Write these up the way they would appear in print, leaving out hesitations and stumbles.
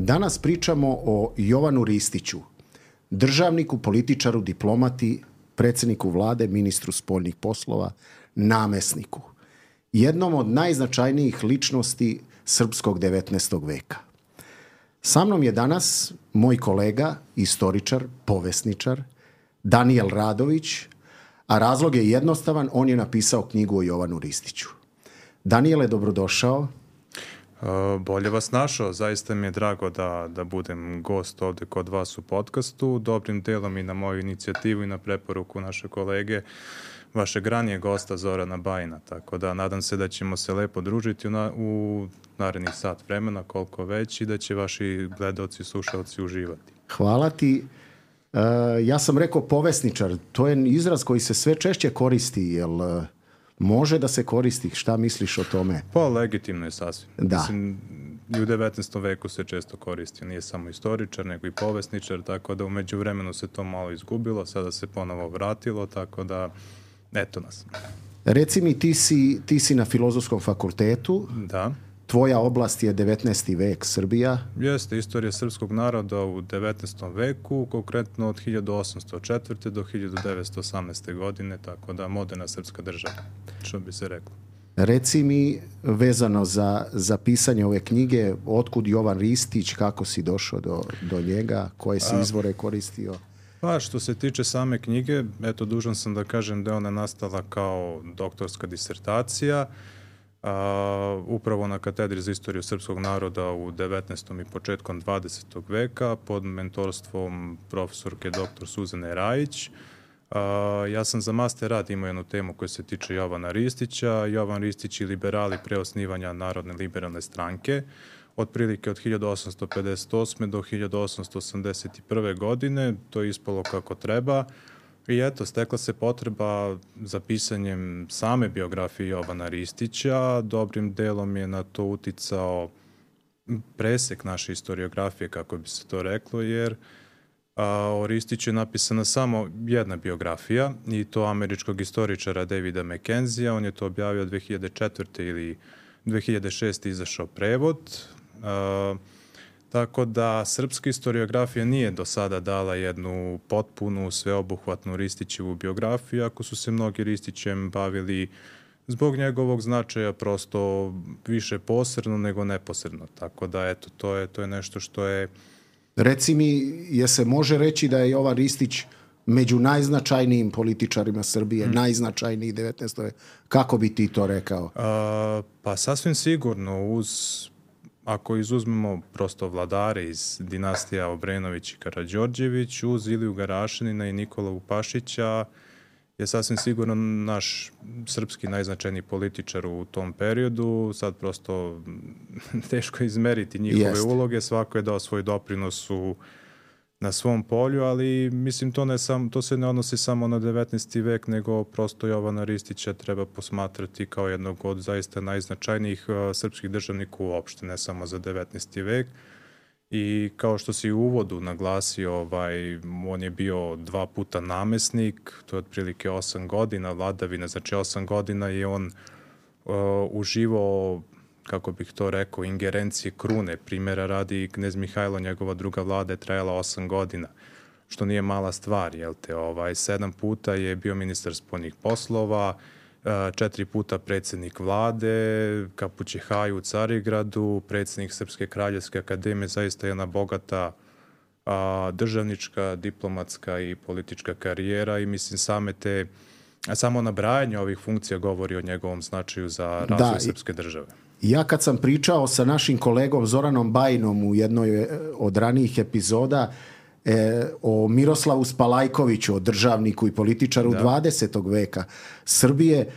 Danas pričamo o Jovanu Ristiću, državniku, političaru, diplomati, predsjedniku vlade, ministru spoljnih poslova, namesniku. Jednom od najznačajnijih ličnosti srpskog 19. veka. Sa mnom je danas moj kolega, istoričar, povesničar, Danijel Radović, a razlog je jednostavan, on je napisao knjigu o Jovanu Ristiću. Danijele, dobrodošao. Bolje vas našao, zaista mi je drago da budem gost ovdje kod vas u podcastu, dobrim delom i na moju inicijativu i na preporuku naše kolege, vašeg ranijeg gosta Zorana Bajina, tako da nadam se da ćemo se lepo družiti u narednih sat vremena, koliko već, i da će vaši gledaoci i slušalci uživati. Hvala ti. Ja sam rekao povesničar, to je izraz koji se sve češće koristi, jel može da se koristi? Šta misliš o tome? Pa legitimno je sasvim. Da. Mislim, i u 19. veku se često koristi, nije samo istoričar, nego i povesničar, tako da u međuvremenu se to malo izgubilo, sada se ponovo vratilo, tako da eto nas. Reci mi, ti si na Filozofskom fakultetu. Da. Tvoja oblast je 19. vek, Srbija. Jeste, istorija srpskog naroda u 19. veku, konkretno od 1804. do 1918. godine, tako da moderna srpska država, što bi se reklo. Reci mi, vezano za pisanje ove knjige, otkud Jovan Ristić, kako si došao do njega, koje si izvore koristio? Pa što se tiče same knjige, eto, dužan sam da kažem da je ona nastala kao doktorska disertacija, upravo na katedri za istoriju srpskog naroda u 19. i početkom 20. veka pod mentorstvom profesorke dr. Suzane Rajić. Ja sam za master rad imao jednu temu koja se tiče Jovana Ristića. Jovan Ristić i liberali pre osnivanja Narodne liberalne stranke, otprilike od 1858. do 1881. godine. To je ispalo kako treba. I eto, stekla se potreba za pisanjem same biografije Jovana Ristića. Dobrim delom je na to uticao presek naše historiografije, kako bi se to reklo, jer o Ristiću je napisana samo jedna biografija, i to američkog istoričara Davida McKenzija. On je to objavio 2004. ili 2006. izašao prevod. Tako da srpska historiografija nije do sada dala jednu potpunu, sveobuhvatnu Ristićevu biografiju, ako su se mnogi Ristićem bavili zbog njegovog značaja prosto više posredno nego neposredno. Tako da eto, to je nešto što je... Reci mi, je se može reći da je Jovan Ristić među najznačajnijim političarima Srbije, najznačajniji 19. Kako bi ti to rekao? Pa sasvim sigurno, ako izuzmemo prosto vladare iz dinastija Obrenović i Karađorđević, uz Iliju Garašanina i Nikolu Pašića, je sasvim sigurno naš srpski najznačajniji političar u tom periodu. Sad prosto teško je izmeriti njihove uloge, svako je dao svoj doprinos na svom polju, ali mislim to se ne odnosi samo na 19. vek, nego prosto Jovana Ristića treba posmatrati kao jednog od zaista najznačajnijih srpskih državnika uopšte, ne samo za 19. vek. I kao što si u uvodu naglasio, on je bio 2 puta namesnik, to je otprilike 8 godina vladavine, znači 8 godina je on uživao, kako bih to rekao, ingerencije krune. Primjera radi, knez Mihajlo, njegova druga vlada je trajala 8 godina, što nije mala stvar, jel te? 7 puta je bio ministar spoljnih poslova, 4 puta predsjednik vlade, Kapući Haju u Carigradu, predsjednik Srpske kraljevske akademije, zaista jedna bogata državnička, diplomatska i politička karijera, i mislim samo nabrajanje ovih funkcija govori o njegovom značaju za razvoj srpske države. Ja kad sam pričao sa našim kolegom Zoranom Bajinom u jednoj od ranijih epizoda o Miroslavu Spalajkoviću, o državniku i političaru 20. veka Srbije,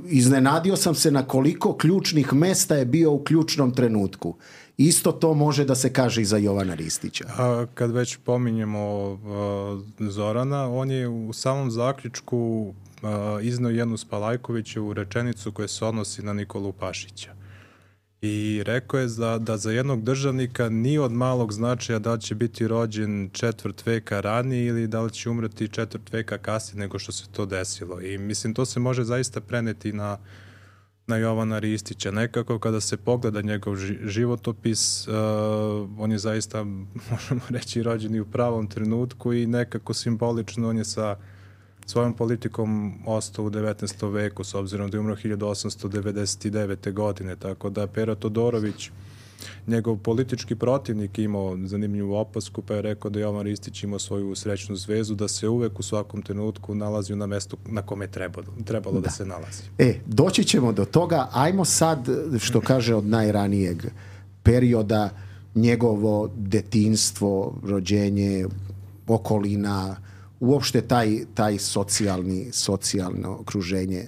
iznenadio sam se na koliko ključnih mesta je bio u ključnom trenutku. Isto to može da se kaže i za Jovana Ristića. Kad već pominjemo Zorana, on je u samom zaključku izneo jednu Spalajkovićevu rečenicu koja se odnosi na Nikolu Pašića. I rekao je da za jednog državnika nije od malog značaja da li će biti rođen 4. veka ranije ili da li će umreti 4. veka kasnije nego što se to desilo. I mislim, to se može zaista preneti na na Jovana Ristića. Nekako kada se pogleda njegov životopis, on je zaista, možemo reći, rođen i u pravom trenutku i nekako simbolično on je sa svojom politikom ostao u 19. veku, s obzirom da je umro 1899. godine, tako da Pera Todorović, njegov politički protivnik, imao zanimljivu opasku, pa je rekao da Jovan Ristić imao svoju srećnu zvezu, da se uvek u svakom trenutku nalazio na mestu na kome je trebalo da se nalazi. Doći ćemo do toga. Ajmo sad, što kaže, od najranijeg perioda, njegovo detinjstvo, rođenje, okolina, uopšte taj socijalno okruženje.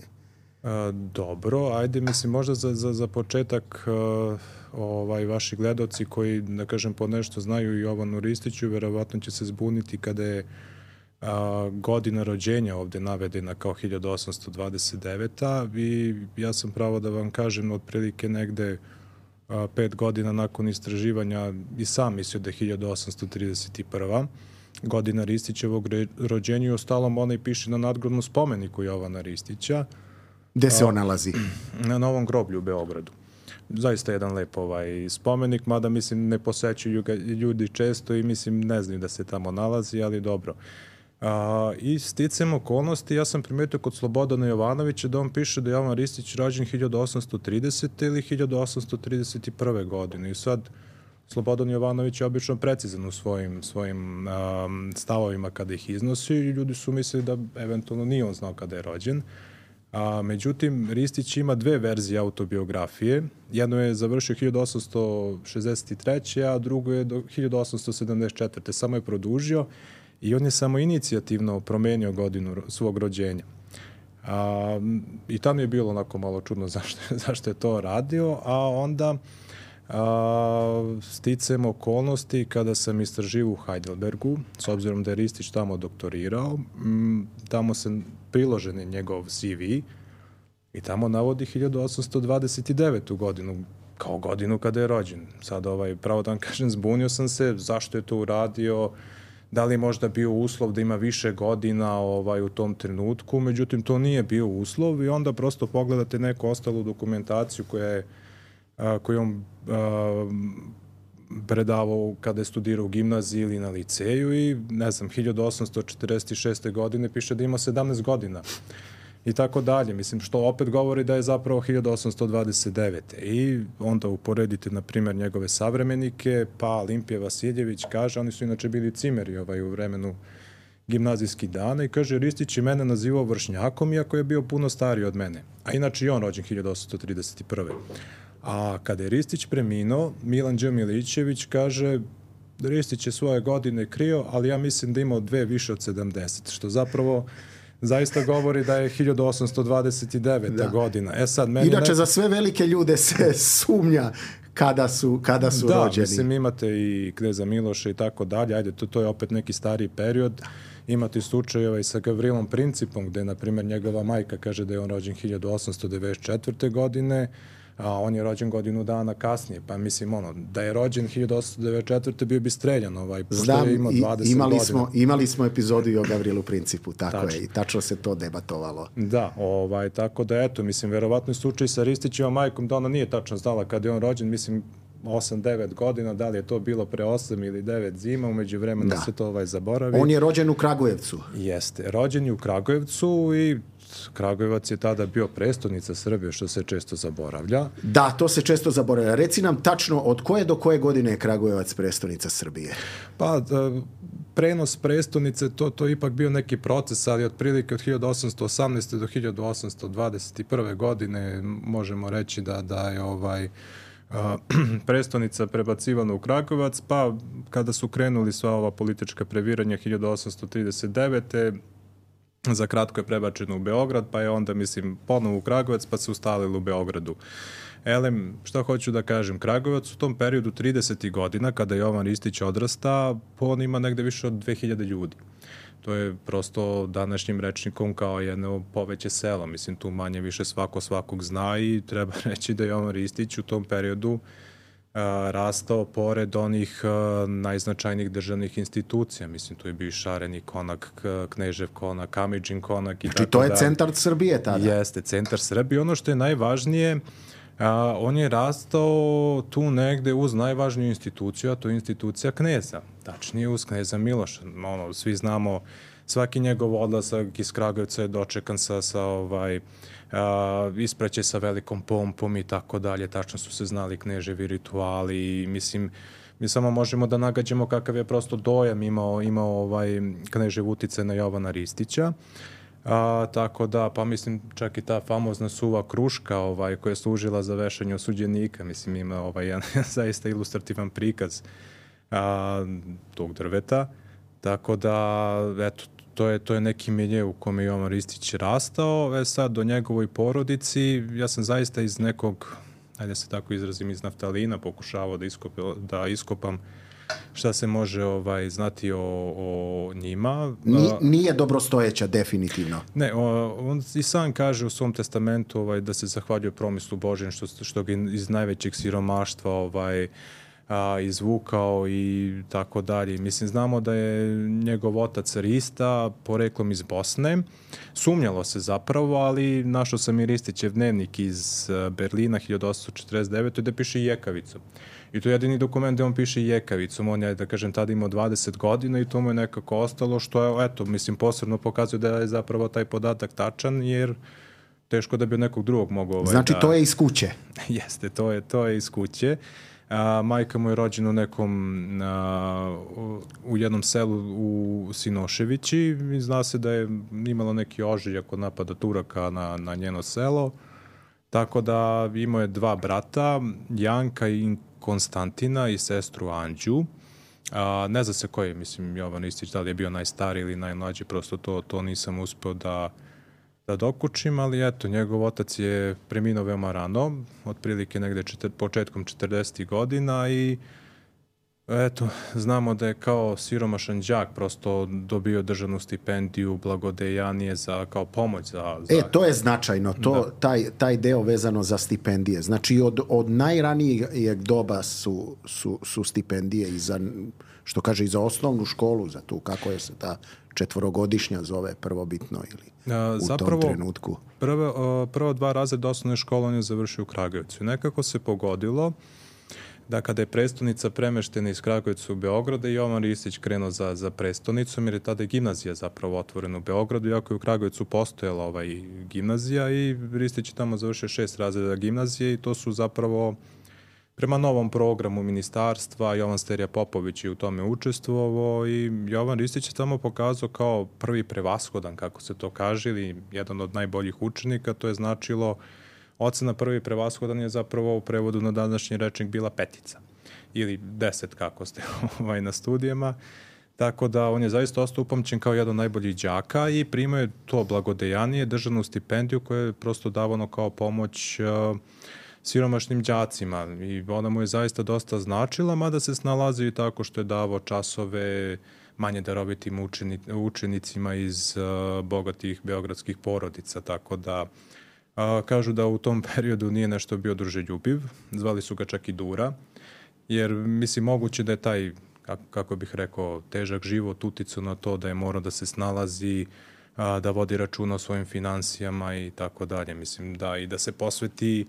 Dobro, ajde, mislim, možda za početak vaši gledaoci koji, da kažem, po nešto znaju i Jovanu Ristiću, verovatno će se zbuniti kada je godina rođenja ovde navedena kao 1829. I ja sam pravo da vam kažem, otprilike negde 5 godina nakon istraživanja i sam mislio da je 1831. godina Ristićevog rođenja i ostalom onaj piše na nadgrobnom spomeniku Jovana Ristića. Gde se on nalazi? Na Novom groblju u Beogradu. Zaista jedan lep spomenik, mada mislim ne posećuju ga ljudi često i mislim ne znaju da se tamo nalazi, ali dobro. I sticam okolnosti, ja sam primetio kod Slobodana Jovanovića da on piše da je Jovan Ristić rođen 1830. ili 1831. godine. I sad Slobodan Jovanović je obično precizan u svojim stavovima kada ih iznosi i ljudi su mislili da eventualno nije on znao kada je rođen. Međutim, Ristić ima 2 verzije autobiografije. Jedno je završio 1863. a drugo je do 1874. Samo je produžio i on je samo inicijativno promenio godinu svog rođenja. I tamo je bilo onako malo čudno zašto je to radio, a onda sticam okolnosti kada sam istraživao u Heidelbergu, s obzirom da je Ristić tamo doktorirao, tamo se priložen je njegov CV i tamo navodi 1829. godinu kao godinu kada je rođen. Sad, pravo da vam kažem, zbunio sam se zašto je to uradio, da li je možda bio uslov da ima više godina u tom trenutku, međutim to nije bio uslov i onda prosto pogledate neku ostalu dokumentaciju koju on predavao kada je studirao u gimnaziji ili na liceju i ne znam, 1846. godine piše da ima 17 godina i tako dalje. Mislim, što opet govori da je zapravo 1829. I onda uporedite, na primjer, njegove savremenike, pa Olimpije Vasiljević kaže, oni su inače bili cimeri u vremenu gimnazijskih dana i kaže, Ristić je mene nazivao vršnjakom iako je bio puno stariji od mene. A inače i on rođen 1831. A kada je Ristić preminuo, Milan Đ. Milićević kaže Ristić je svoje godine krio, ali ja mislim da imao 2 više od 70, što zapravo zaista govori da je 1829. godina. Sad, inače, za sve velike ljude se sumnja kada su rođeni. Da, mislim, imate i kneza Miloša i tako dalje. Ajde, to je opet neki stariji period. Imate slučajeva i sa Gavrilom Principom, gde, na primjer, njegova majka kaže da je on rođen 1894. godine, a on je rođen godinu dana kasnije, pa mislim da je rođen 1894. bio bi streljan pošto je imao 20 godina. Imali smo epizodu i o Gavrilu Principu, tako je, i tačno se to debatovalo. Da, tako da eto, mislim, verovatno je slučaj sa Ristićevom majkom da ona nije tačno znala kada je on rođen, mislim, 8-9 godina, da li je to bilo pre 8 ili 9 zima, umeđu vremena se to zaboravi. On je rođen u Kragujevcu. Jeste, rođen je u Kragujevcu i Kragujevac je tada bio prestonica Srbije, što se često zaboravlja. Da, to se često zaboravlja. Reci nam tačno od koje do koje godine je Kragujevac prestonica Srbije? Pa, prenos prestonice, to je ipak bio neki proces, ali otprilike od 1818. do 1821. godine možemo reći da je prestonica prebacivana u Kragujevac, pa kada su krenuli sva ova politička previranja 1839. za kratko je prebačeno u Beograd, pa je onda, mislim, ponovo u Kragujevac, pa se ustalilo u Beogradu. Šta hoću da kažem, Kragujevac u tom periodu 30. godina, kada Jovan Ristić odrasta, on ima negde više od 2000 ljudi. To je prosto današnjim rečnikom kao jedno poveće selo. Mislim, tu manje više svakog zna i treba reći da Jovan Ristić u tom periodu rastao pored onih najznačajnijih državnih institucija. Mislim, tu je bio i Šarenik konak, Knežev konak, Kamidžin konak i znači, to je centar Srbije tada. Jeste, centar Srbije. Ono što je najvažnije, on je rastao tu negde uz najvažniju instituciju, a to je institucija kneza. Tačnije uz kneza Miloša. Svi znamo, svaki njegov odlazak iz Kragujevca je dočekan sa ispraće sa velikom pompom i tako dalje. Tačno su se znali kneževi rituali i mislim, mi samo možemo da nagađamo kakav je prosto dojam imao knežev utice na Jovana Ristića. Tako da, pa mislim, čak i ta famozna suva kruška koja je služila za vešanje osuđenika, mislim, ima jedan zaista ilustrativan prikaz tog drveta. Tako da, eto, to je neki milje u kome Jovan Ristić rastao. Sad, do njegovoj porodici, ja sam zaista iz nekog, ajde se tako izrazim, iz naftalina pokušavao da iskopam šta se može znati o njima. Nije dobrostojeća, definitivno. Ne, on i sam kaže u svom testamentu da se zahvaljuje promislu Božjem što ga iz najvećeg siromaštva izvukao i tako dalje. Mislim, znamo da je njegov otac Rista, poreklom iz Bosne. Sumnjalo se zapravo, ali našao sam i Ristićev dnevnik iz Berlina 1849. gde piše Jekavicu. I to je jedini dokument gde on piše Jekavicom. On je, da kažem, tada imao 20 godina i to mu je nekako ostalo, što je, eto, mislim, posebno pokazuje da je zapravo taj podatak tačan, jer teško da bi od nekog drugog mogao... Znači, to je iz kuće. Jeste, to je iz kuće. Majka mu je rođena u jednom selu u Sinoševići i zna se da je imala neki ožiljak od napada Turaka na njeno selo. Tako da imao je 2 brata, Janka i Konstantina i sestru Anđu. Ne zna se koji je, mislim, Jovan Ristić, da li je bio najstariji ili najmlađi, prosto to nisam uspeo da dokučim, ali eto, njegov otac je preminuo veoma rano, otprilike negde početkom 40. godina i eto, znamo da je kao siromašan đak prosto dobio državnu stipendiju, blagodejanije kao pomoć za... To je značajno, taj deo vezano za stipendije. Znači, od najranijeg doba su stipendije i za, što kaže, i za osnovnu školu, za tu, kako je se ta 4-godišnja zove prvobitno ili u tom trenutku. Prva 2 razreda osnovne škole on je završio u Kragujevcu. Nekako se pogodilo da kada je prestonica premeštena iz Kragujevca u Beograd, Jovan Ristić krenuo za prestonicom, jer je tada gimnazija zapravo otvorena u Beogradu, iako je u Kragujevcu postojala gimnazija i Ristić je tamo završio 6 razreda gimnazije i to su zapravo prema novom programu ministarstva. Jovan Sterija Popović je u tome učestvovao i Jovan Ristić je tamo pokazao kao prvi prevashodan, kako se to kaže, ili jedan od najboljih učenika. To je značilo, ocena prvi prevashodan je zapravo u prevodu na današnji rečnik bila 5 ili 10 kako ste na studijama. Tako da on je zaista ostao upamćen kao jedan od najboljih đaka i primao je to blagodejanije, državnu stipendiju koja je prosto davano kao pomoć siromašnim đacima i ona mu je zaista dosta značila, mada se snalazio i tako što je davao časove manje darovitim učenicima iz bogatih beogradskih porodica, tako da kažu da u tom periodu nije nešto bio druželjubiv, zvali su ga čak i Dura, jer mislim moguće da je taj, kako bih rekao, težak život uticao na to da je morao da se snalazi, da vodi računa o svojim finansijama i tako dalje, mislim da i da se posveti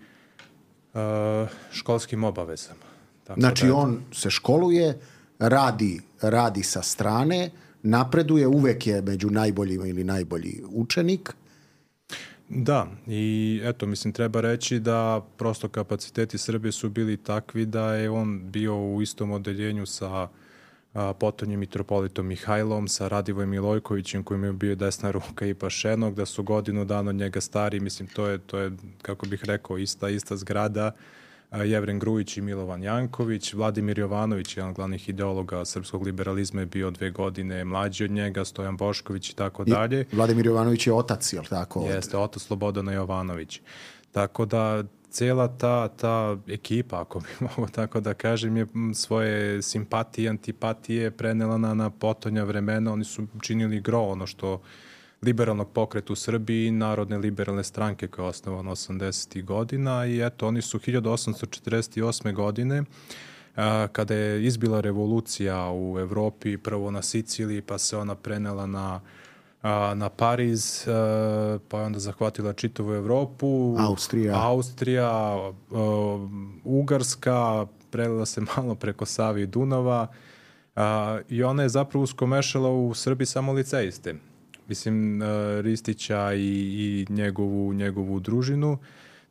školskim obavezama. Tako znači on se školuje, radi sa strane, napreduje, uvek je među najboljima ili najbolji učenik. Da, i eto, mislim, treba reći da prosto kapaciteti Srbije su bili takvi da je on bio u istom odeljenju sa potonjim mitropolitom Mihajlom, sa Radivojem Milojkovićem kojim je bio desna ruka i Pašenog, da su godinu dana od njega stari, mislim, to je, kako bih rekao, ista zgrada. Jevren Grujić i Milovan Janković, Vladimir Jovanović, jedan od glavnih ideologa srpskog liberalizma, je bio 2 godine mlađi od njega, Stojan Bošković i tako dalje. Vladimir Jovanović je otac, jel tako? Jeste, otac Slobodana Jovanović. Tako da cijela ta ekipa, ako bi mogo tako da kažem, je svoje simpatije i antipatije prenela na potonja vremena. Oni su činili gro ono što liberalnog pokreta u Srbiji, Narodne liberalne stranke koja je osnovana 80. godina i eto, oni su 1848. godine kada je izbila revolucija u Evropi, prvo na Siciliji, pa se ona prenela na Pariz, pa je onda zahvatila čitavu Evropu, Austrija, Ugarska, prelila se malo preko Save i Dunava i ona je zapravo uskomešala u Srbiji samo liceiste. Mislim, Ristića i njegovu družinu.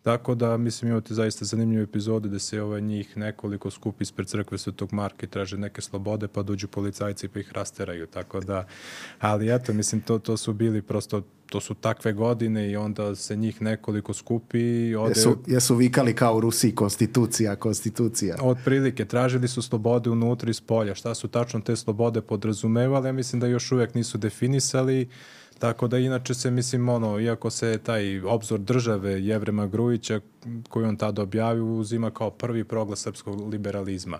Tako da, mislim, imate zaista zanimljive epizode da se njih nekoliko skupi ispred crkve Svetog Marka i traže neke slobode, pa dođu policajci pa ih rasteraju. Tako da, ali eto, mislim, to su bili prosto, to su takve godine i onda se njih nekoliko skupi. Jesu vikali kao u Rusiji konstitucija. Otprilike, tražili su slobode unutra i spolja. Šta su tačno te slobode podrazumevali? Ja mislim da još uvijek nisu definisali. Tako da inače se, mislim, iako se taj obzor države Jevrema Grujića, koji on tada objavio, uzima kao prvi proglas srpskog liberalizma.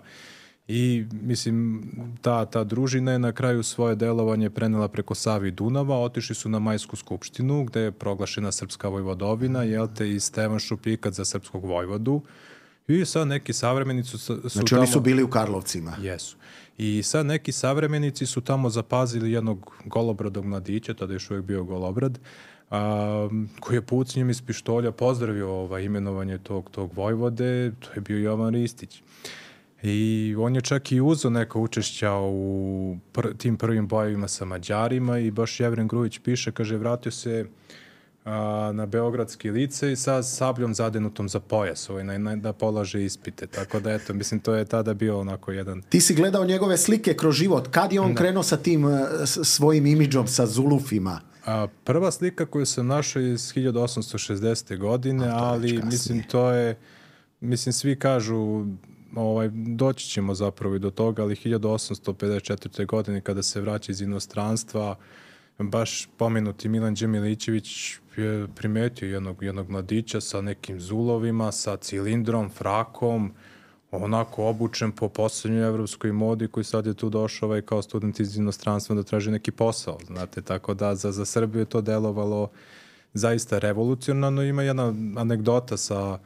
I, mislim, ta družina je na kraju svoje delovanje prenela preko Save i Dunava, otišli su na Majsku skupštinu, gde je proglašena srpska vojvodovina, i Stevan Šupljikac za srpskog vojvodu. I sad neki savremenici su znači oni su bili u Karlovcima. Jesu. I sad neki savremenici su tamo zapazili jednog golobradog mladića, tada je još uvijek bio golobrad, koji je pucanjem iz pištolja pozdravio imenovanje tog vojvode, to je bio Jovan Ristić. I on je čak i uzeo neka učešća u tim prvim bojevima sa Mađarima i baš Jevren Grujić piše, kaže, vratio se na Beogradski licej sa sabljom zadenutom za pojas, da polaže ispite. Tako da, eto, mislim, to je tada bio onako jedan... Ti si gledao njegove slike kroz život. Kad je on krenuo sa tim svojim imidžom, sa zulufima? Prva slika koju sam našao je iz 1860. godine, ali mislim, to je... Mislim, svi kažu... doći ćemo zapravo i do toga, ali 1854. godine kada se vraća iz inostranstva, baš pomenuti Milan Đemilićević je primetio jednog mladića sa nekim zulovima, sa cilindrom, frakom, onako obučen po poslednjoj evropskoj modi, koji sad je tu došao kao student iz inostranstva da traži neki posao. Znate, tako da za Srbiju je to delovalo zaista revolucionarno. Ima jedna anegdota sa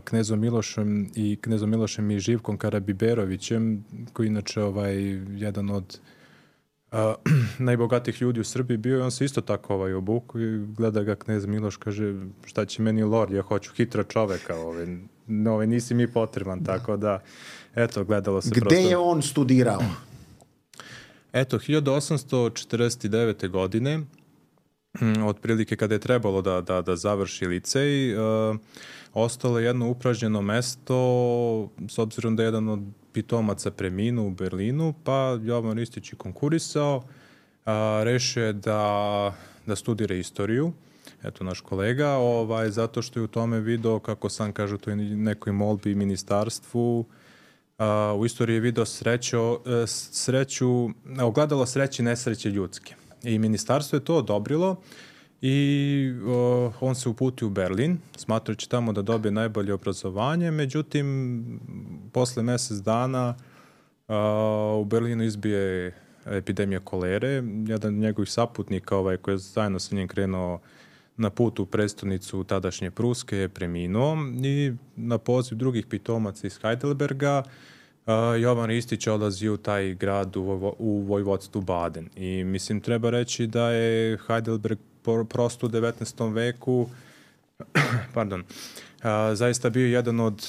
knezom Milošem i Živkom Karabiberovićem, koji inače jedan od najbogatijih ljudi u Srbiji bio i on se isto tako obuku i gleda ga knez Miloš, kaže, šta će meni lord, ja hoću hitra čoveka, nisi mi potreban, tako da, eto, gledalo se prosto. Gde je on studirao? Eto, 1849. godine, otprilike kada je trebalo da završi licej, ostalo je jedno upražnjeno mesto, s obzirom da je jedan od pitomaca preminuo u Berlinu, pa Jovan Ristić je konkurisao, rešio je da studira istoriju, eto naš kolega, zato što je u tome video, kako sam kaže, to je nekoj molbi ministarstvu, u istoriji je video ogledalo sreće i nesreće ljudske. I ministarstvo je to odobrilo i on se uputio u Berlin, smatrajući tamo da dobije najbolje obrazovanje, međutim, posle mesec dana u Berlinu izbije epidemija kolere. Jedan od njegovih saputnika, koji je zajedno sa njim krenuo na put u prestonicu tadašnje Pruske, je preminuo i na poziv drugih pitomaca iz Heidelberga Jovan Ristić odlazi u taj grad u vojvodstvu Baden. I mislim, treba reći da je Heidelberg prosto u 19. veku zaista bio jedan od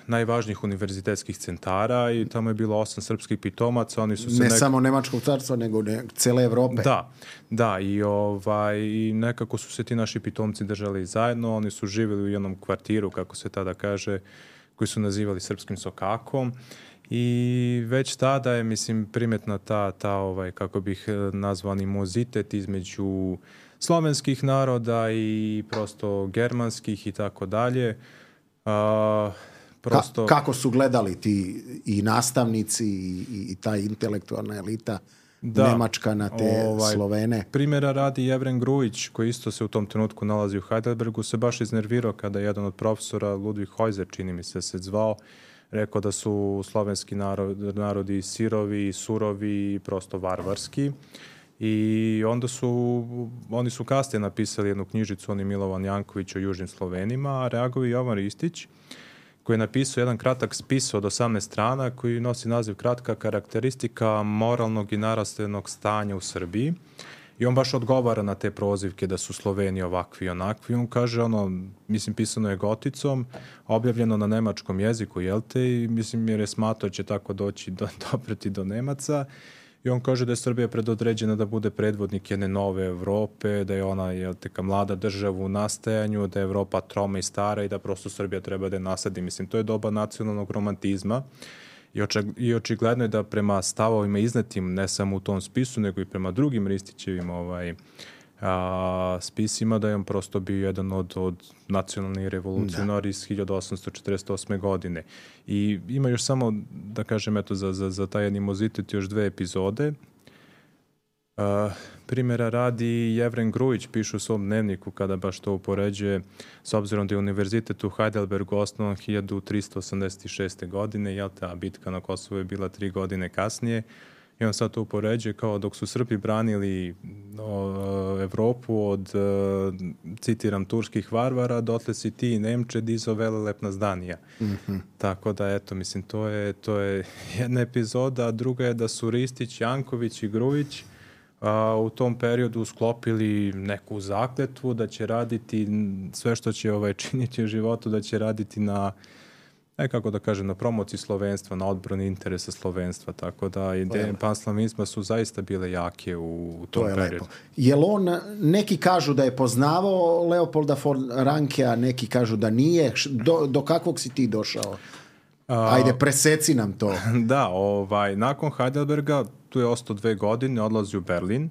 najvažnijih univerzitetskih centara i tamo je bilo 8 srpskih pitomaca. Oni su se samo Nemačkog carstva, nego cele Evrope. Da, i nekako su se ti naši pitomci držali zajedno. Oni su živjeli u jednom kvartiru, kako se tada kaže, koji su nazivali Srpskim sokakom. I već tada je, mislim, primetna ta kako bih nazvao, animozitet između slovenskih naroda i prosto germanskih i tako dalje. Kako su gledali ti i nastavnici i ta intelektualna elita nemačka na te Slovene? Primjera radi Jevren Grujić, koji isto se u tom trenutku nalazi u Heidelbergu, se baš iznervirao kada je jedan od profesora, Ludvig Heuser, čini mi se zvao, rekao da su slovenski narodi sirovi, surovi i prosto varvarski. I onda oni su kasnije napisali jednu knjižicu, oni Milovan Janković o južnim Slovenima, a reagovao je Jovan Ristić, koji je napisao jedan kratak spis od 18 strana koji nosi naziv Kratka karakteristika moralnog i narastavnog stanja u Srbiji. I on baš odgovara na te prozivke da su Sloveni ovakvi i onakvi. On kaže, mislim, pisano je goticom, objavljeno na nemačkom jeziku, jel te, i mislim, jer je smatrao će tako dopreti do Nemaca. I on kaže da je Srbija predodređena da bude predvodnik jedne nove Evrope, da je ona, jel te, ka mlada država u nastajanju, da je Evropa troma i stara i da prosto Srbija treba da je nasadi. Mislim, to je doba nacionalnog romantizma. I očigledno je da prema stavovima iznetim ne samo u tom spisu, nego i prema drugim Ristićevim spisima, da je on prosto bio jedan od nacionalnih revolucionara iz 1848. godine. I ima još samo, da kažem, eto, za taj animozitet još 2 epizode. Primjera radi Jevren Grujić piše u svom dnevniku kada baš to upoređuje, s obzirom da je univerzitet u Heidelbergu osnovan 1386. godine, jel te, a bitka na Kosovu je bila 3 godine kasnije. I on sad to upoređuje kao dok su Srbi branili Evropu od, citiram, turskih varvara, dotle si ti Nemče dizo velelepna zdanija. Mm-hmm. Tako da, eto, mislim, to je jedna epizoda, a druga je da su Ristić, Janković i Grujić u tom periodu sklopili neku zakletvu da će raditi sve što će činiti u životu, da će raditi na, kako da kažem, na promociji slovenstva, na odbrani interesa slovenstva, tako da ideje panslavinizma su zaista bile jake u tom periodu. Lepo. Jel on, neki kažu da je poznavao Leopolda von Rankea, neki kažu da nije, do kakvog si ti došao? Ajde, preseci nam to. Da, nakon Heidelberga tu je ostao 2 godine, odlazi u Berlin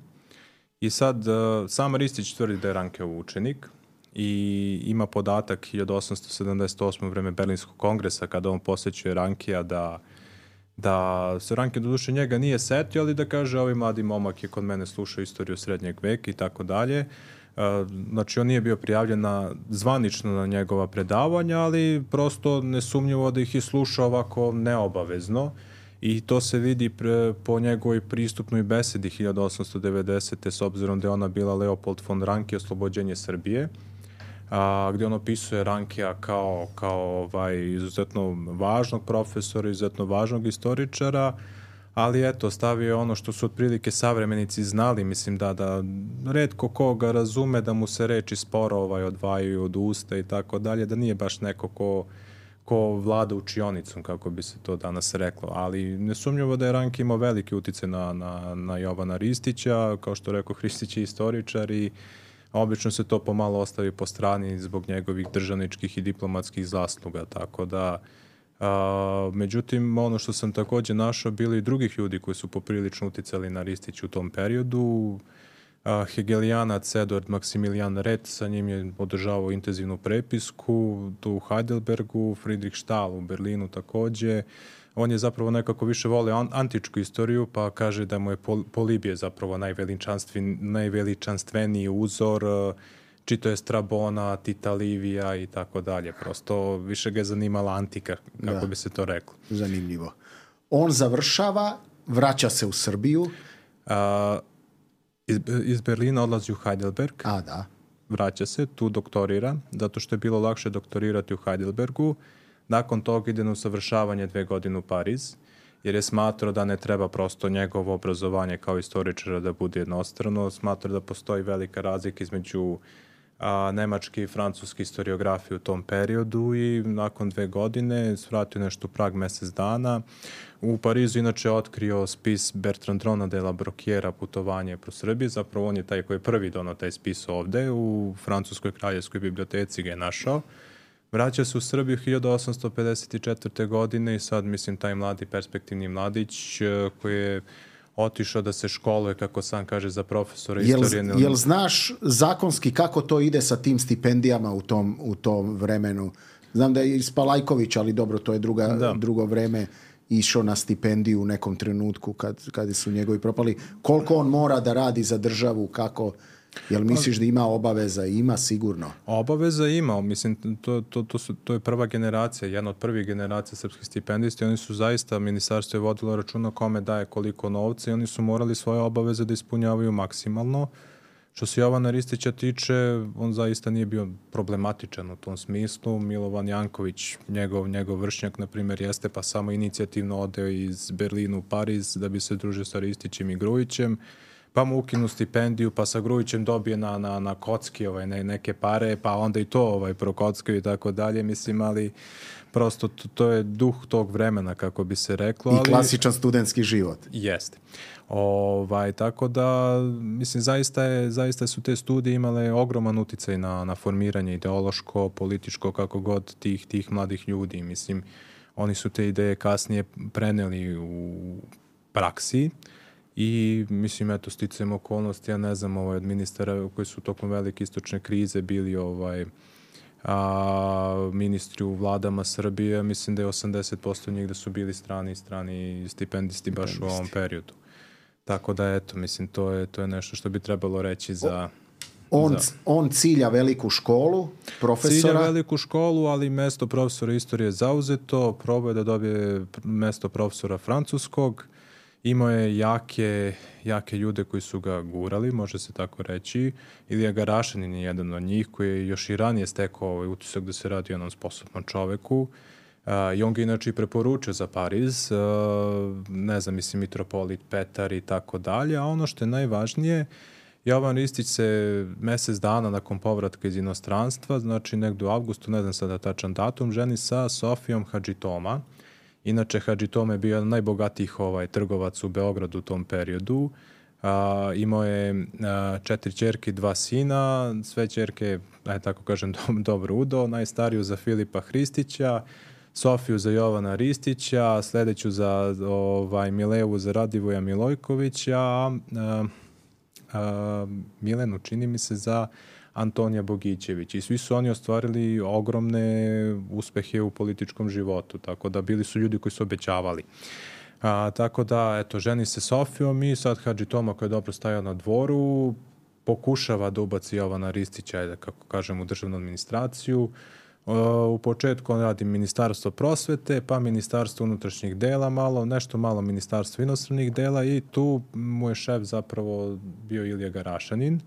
i sad sam Ristić tvrdi da je Rankeov učenik i ima podatak 1878. u vreme Berlinskog kongresa kada on posjećuje Rankea da se Ranke doduše njega nije setio, ali da kaže ovaj mladi momak je kod mene slušao istoriju srednjeg veka i tako dalje. Znači on nije bio prijavljen zvanično na njegova predavanja, ali prosto nesumnjivo da ih je slušao ovako neobavezno i to se vidi po njegovoj pristupnoj besedi 1890. s obzirom da je ona bila Leopold von Ranke, oslobođenje Srbije, gdje on opisuje Rankea kao izuzetno važnog profesora, izuzetno važnog istoričara, ali eto, stavio je ono što su otprilike savremenici znali, mislim da retko koga razume da mu se reči sporo odvajaju od usta i tako dalje, da nije baš neko ko vlada učionicom, kako bi se to danas reklo, ali nesumnjivo da je Ranke imao veliki uticaj na Jovana Ristića, kao što rekao, Ristić je istoričar i obično se to pomalo ostavi po strani zbog njegovih državničkih i diplomatskih zasluga, tako da međutim, ono što sam također našao, bilo i drugih ljudi koji su poprilično uticali na Ristić u tom periodu. Hegelijanac Eduard Maksimilijan Ret, sa njim je održavao intenzivnu prepisku, tu u Heidelbergu, Friedrich Stahl u Berlinu također. On je zapravo nekako više volio antičku istoriju, pa kaže da mu je Polibije zapravo najveličanstveniji uzor, čito je Strabona, Tita Livija i tako dalje. Prosto više ga je zanimala antika, kako bi se to reklo. Zanimljivo. On završava, vraća se u Srbiju. Iz Berlina odlazi u Heidelberg. Da. Vraća se, tu doktorira, zato što je bilo lakše doktorirati u Heidelbergu. Nakon toga ide na usavršavanje 2 godine u Pariz, jer je smatrao da ne treba prosto njegovo obrazovanje kao istoričara da bude jednostrano. Smatrao da postoji velika razlika između nemačke i francuske historiografije u tom periodu i nakon 2 godine svratio nešto u Prag mjesec dana. U Parizu inače otkrio spis Bertrand Rona de la Brocquiera Putovanje pro Srbiji. Zapravo on je taj koji je prvi donao taj spis ovde. U Francuskoj kraljevskoj biblioteci ga je našao. Vraća se u Srbiju 1854. godine i sad, mislim, taj mladi perspektivni mladić koji je otišao da se školuje, kako sam kaže, za profesora istorije. Jel znaš zakonski kako to ide sa tim stipendijama u tom vremenu? Znam da je iz Palajković, ali dobro, to je drugo vreme, išao na stipendiju u nekom trenutku kad su njegovi propali. Koliko on mora da radi za državu, kako... Jel misliš da ima obaveza? Ima sigurno. Obaveza ima, mislim, to je prva generacija, jedna od prvih generacija srpskih stipendista i oni su zaista, ministarstvo je vodilo računa kome daje koliko novca i oni su morali svoje obaveze da ispunjavaju maksimalno. Što se Jovana Ristića tiče, on zaista nije bio problematičan u tom smislu. Milovan Janković, njegov vršnjak, na primjer, jeste pa samo inicijativno odeo iz Berlina u Pariz da bi se družio sa Ristićem i Grujićem, pa mu ukinu stipendiju, pa sa Grujićem dobije na kocki neke pare, pa onda i to prokockaju i tako dalje, mislim, ali prosto to je duh tog vremena, kako bi se reklo. I klasičan studentski život. Jeste. Tako da, mislim, zaista su te studije imale ogroman uticaj na formiranje ideološko, političko, kako god tih mladih ljudi. Mislim, oni su te ideje kasnije preneli u praksi i, mislim, eto, sticajem okolnosti, ja ne znam, od ministara koji su tokom velike istočne krize bili ministri u vladama Srbije, mislim da je 80% njih da su bili strani stipendisti baš u ovom periodu. Tako da, eto, mislim, to je nešto što bi trebalo reći za... On cilja veliku školu, profesora? Cilja veliku školu, ali mesto profesora istorije je zauzeto, probao je da dobije mesto profesora francuskog, imao je jake ljude koji su ga gurali, može se tako reći. Ilija Garašanin je jedan od njih koji je još i ranije stekao utisak da se radi o jednom sposobnom čoveku. I on ga inače i preporučio za Pariz, ne znam, mislim, mitropolit Petar i tako dalje, a ono što je najvažnije, Jovan Ristić se mesec dana nakon povratka iz inostranstva, znači negdje u avgustu, ne znam sada tačan datum, ženi sa Sofijom Hadžitoma. Inače, Hadžitoma je bio jedan najbogatijih trgovac u Beogradu u tom periodu. Imao je 4 ćerke i 2 sina, sve ćerke, tako kažem, dobro udo, najstariju za Filipa Hristića, Sofiju za Jovana Ristića, sljedeću za Milevu za Radivoja Milojkovića, Milenu, čini mi se, za Antonija Bogićević. I svi su oni ostvarili ogromne uspehe u političkom životu, tako da bili su ljudi koji su obećavali. Tako da, eto, ženi se Sofijom i sad Hadžitoma, koji je dobro stajao na dvoru, pokušava da ubaci Jovana Ristića, kako kažem, u državnu administraciju. U početku on radi Ministarstvo prosvete, pa Ministarstvo unutrašnjih dela nešto malo Ministarstvo inostranih dela i tu mu je šef zapravo bio Ilija Garašanin,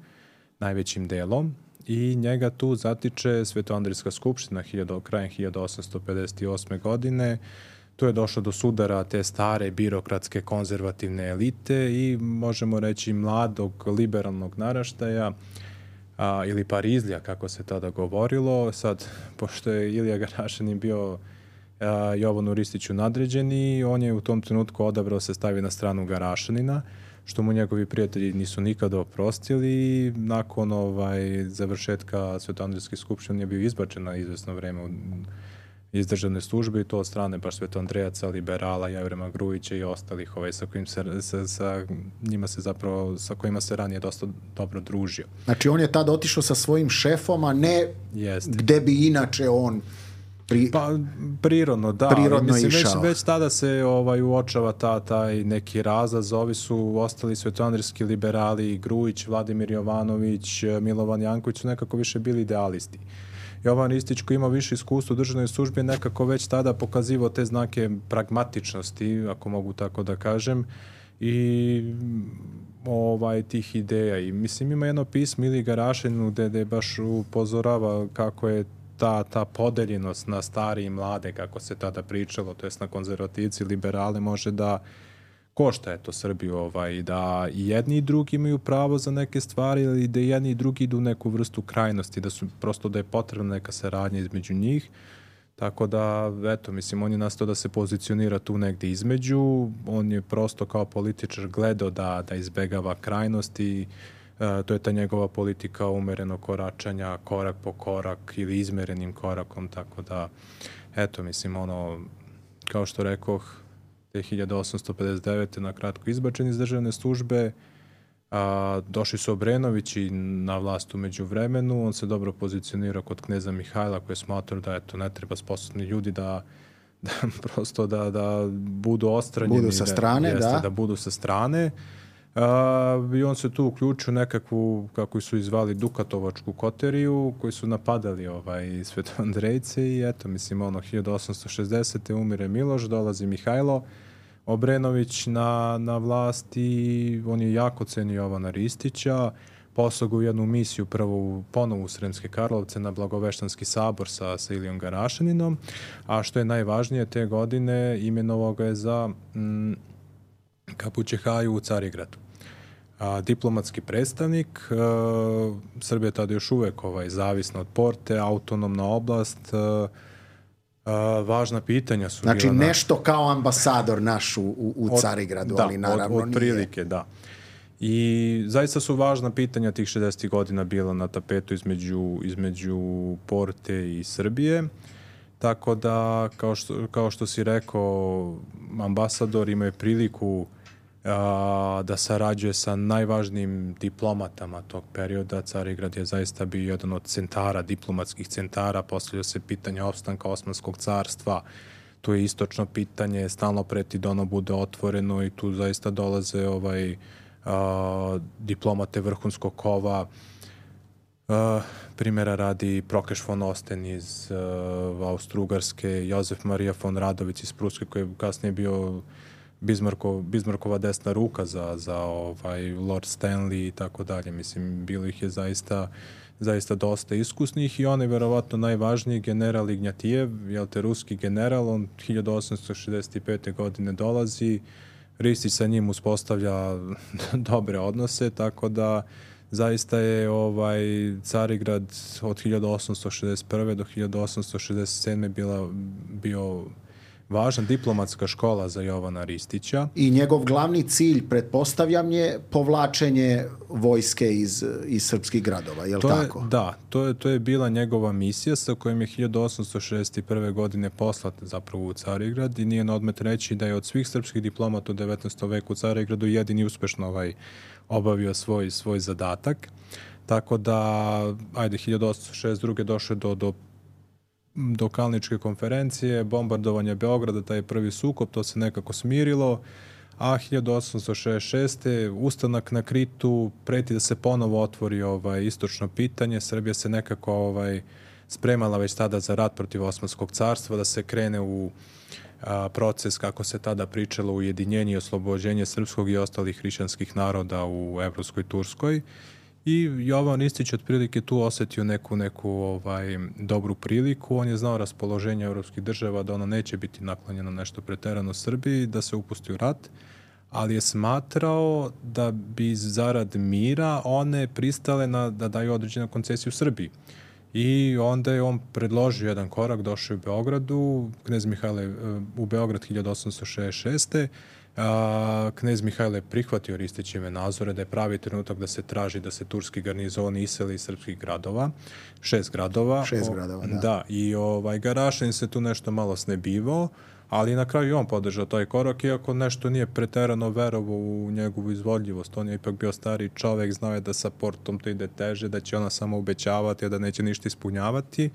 najvećim delom, i njega tu zatiče Svetoandrijska skupština krajem 1858. godine. Tu je došlo do sudara te stare birokratske konzervativne elite i možemo reći mladog liberalnog naraštaja, ili Parizlija, kako se tada govorilo. Sad, pošto je Ilija Garašanin bio Jovanu Ristiću nadređeni, on je u tom trenutku odabrao se stavi na stranu Garašanina, što mu njegovi prijatelji nisu nikada oprostili. Nakon završetka Svetoandrijske skupštine je bio izbačen na izvesno vreme iz državne službe i to od strane baš Svetoandrejaca, liberala, Jevrema Grujića i ostalih sa kojima se ranije dosta dobro družio. Znači on je tada otišao sa svojim šefom, a ne gde bi inače on prirodno, da. Prirodno išao. Već tada se uočava taj neki razlaz. Ovi su ostali svetoandrijski liberali, Grujić, Vladimir Jovanović, Milovan Janković su nekako više bili idealisti. Jovan Ristić, koji ima više iskustva u državnoj službi, nekako već tada pokazivao te znake pragmatičnosti, ako mogu tako da kažem, i tih ideja. I mislim, ima jedno pismo Iliji Garašaninu gde baš upozorava kako je ta podeljenost na stari i mlade, kako se tada pričalo, to jest na konzervativci i liberale, može da košta Srbiju, da i jedni i drugi imaju pravo za neke stvari, ili da jedni i drugi idu u neku vrstu krajnosti, da je potrebna neka saradnja između njih. Tako da, eto, mislim, on je nastao da se pozicionira tu negdje između, on je prosto kao političar gledao da izbegava krajnosti, to je ta njegova politika umerenog koračanja, korak po korak ili izmerenim korakom, tako da, eto, mislim, kao što rekoh, te 1859. na kratko izbačen iz državne službe, došli su Obrenovići na vlast u međuvremenu, on se dobro pozicionirao kod kneza Mihajla koji je smatrao da ne treba sposobni ljudi da prosto da budu ostranjeni. Budu sa strane, da budu sa strane. I on se tu uključio nekakvu, kako su izvali, Dukatovačku koteriju, koji su napadali Svetoandrejce i eto, mislim, 1860. umire Miloš, dolazi Mihajlo Obrenović na vlast i on je jako cenio Jovana Ristića, poslao ga u jednu misiju ponovo u Sremske Karlovce na Blagoveštanski sabor sa Ilijom Garašaninom, a što je najvažnije, te godine imenovao ga je za kapućehaju u Carigradu. Diplomatski predstavnik, Srbija je tada još uvek zavisna od Porte, autonomna oblast, važna pitanja su znači bila... nešto kao ambasador naš u Carigradu, ali naravno od prilike, da. I zaista su važna pitanja tih 60. godina bila na tapetu između Porte i Srbije. Tako da, kao što si rekao, ambasador ima priliku da sarađuje sa najvažnijim diplomatama tog perioda. Carigrad je zaista bio jedan od centara, diplomatskih centara. Postavlja se pitanje opstanka Osmanskog carstva. Tu je istočno pitanje, stalno preti da ono bude otvoreno i tu zaista dolaze diplomate vrhunskog kova. Primjera radi Prokeš von Osten iz Austro-Ugarske, Jozef Marija von Radović iz Pruske, koji je kasnije bio Bismarckova desna ruka za Lord Stanley i tako dalje. Mislim, bilo ih je zaista dosta iskusnih i on je verovatno najvažniji, general Ignjatijev, ruski general, on 1865. godine dolazi, Ristić sa njim uspostavlja dobre odnose, tako da zaista je Carigrad od 1861. do 1867. bio važna diplomatska škola za Jovana Ristića. I njegov glavni cilj, pretpostavljam, je povlačenje vojske iz srpskih gradova, je li tako? Da, to je bila njegova misija sa kojom je 1861. godine poslat zapravo u Carigrad i nije na odmet reći da je od svih srpskih diplomata u 19. veku u Carigradu jedini uspešno obavio svoj zadatak. Tako da, 1862. došlo do Kalničke konferencije, bombardovanja Beograda, taj prvi sukob, to se nekako smirilo, a 1866. ustanak na Kritu, preti da se ponovo otvori istočno pitanje. Srbija se nekako spremala već tada za rat protiv Osmanskog carstva, da se krene u proces, kako se tada pričalo, ujedinjenje i oslobođenje srpskog i ostalih hrišćanskih naroda u Evropskoj Turskoj. I Jovan Ristić otprilike tu osetio neku dobru priliku. On je znao raspoloženje evropskih država da ono neće biti naklonjeno nešto preterano Srbiji, da se upusti u rat, ali je smatrao da bi zarad mira one pristale da daju određenu koncesiju Srbiji. I onda je on predložio jedan korak, došao u Beogradu, knez Mihajlo u Beograd 1866. Knez Mihajlo je prihvatio Ristićeve nazore da je pravi trenutak da se traži da se turski garnizoni iseli iz srpskih gradova. 6 gradova. 6 gradova, da. Da, i Garašanin se tu nešto malo snebivao, ali na kraju on podržao taj korak, iako nešto nije preterano verovao u njegovu izvodljivost. On je ipak bio stari čovek, znao je da sa Portom to ide teže, da će ona samo obećavati, a da neće ništa ispunjavati.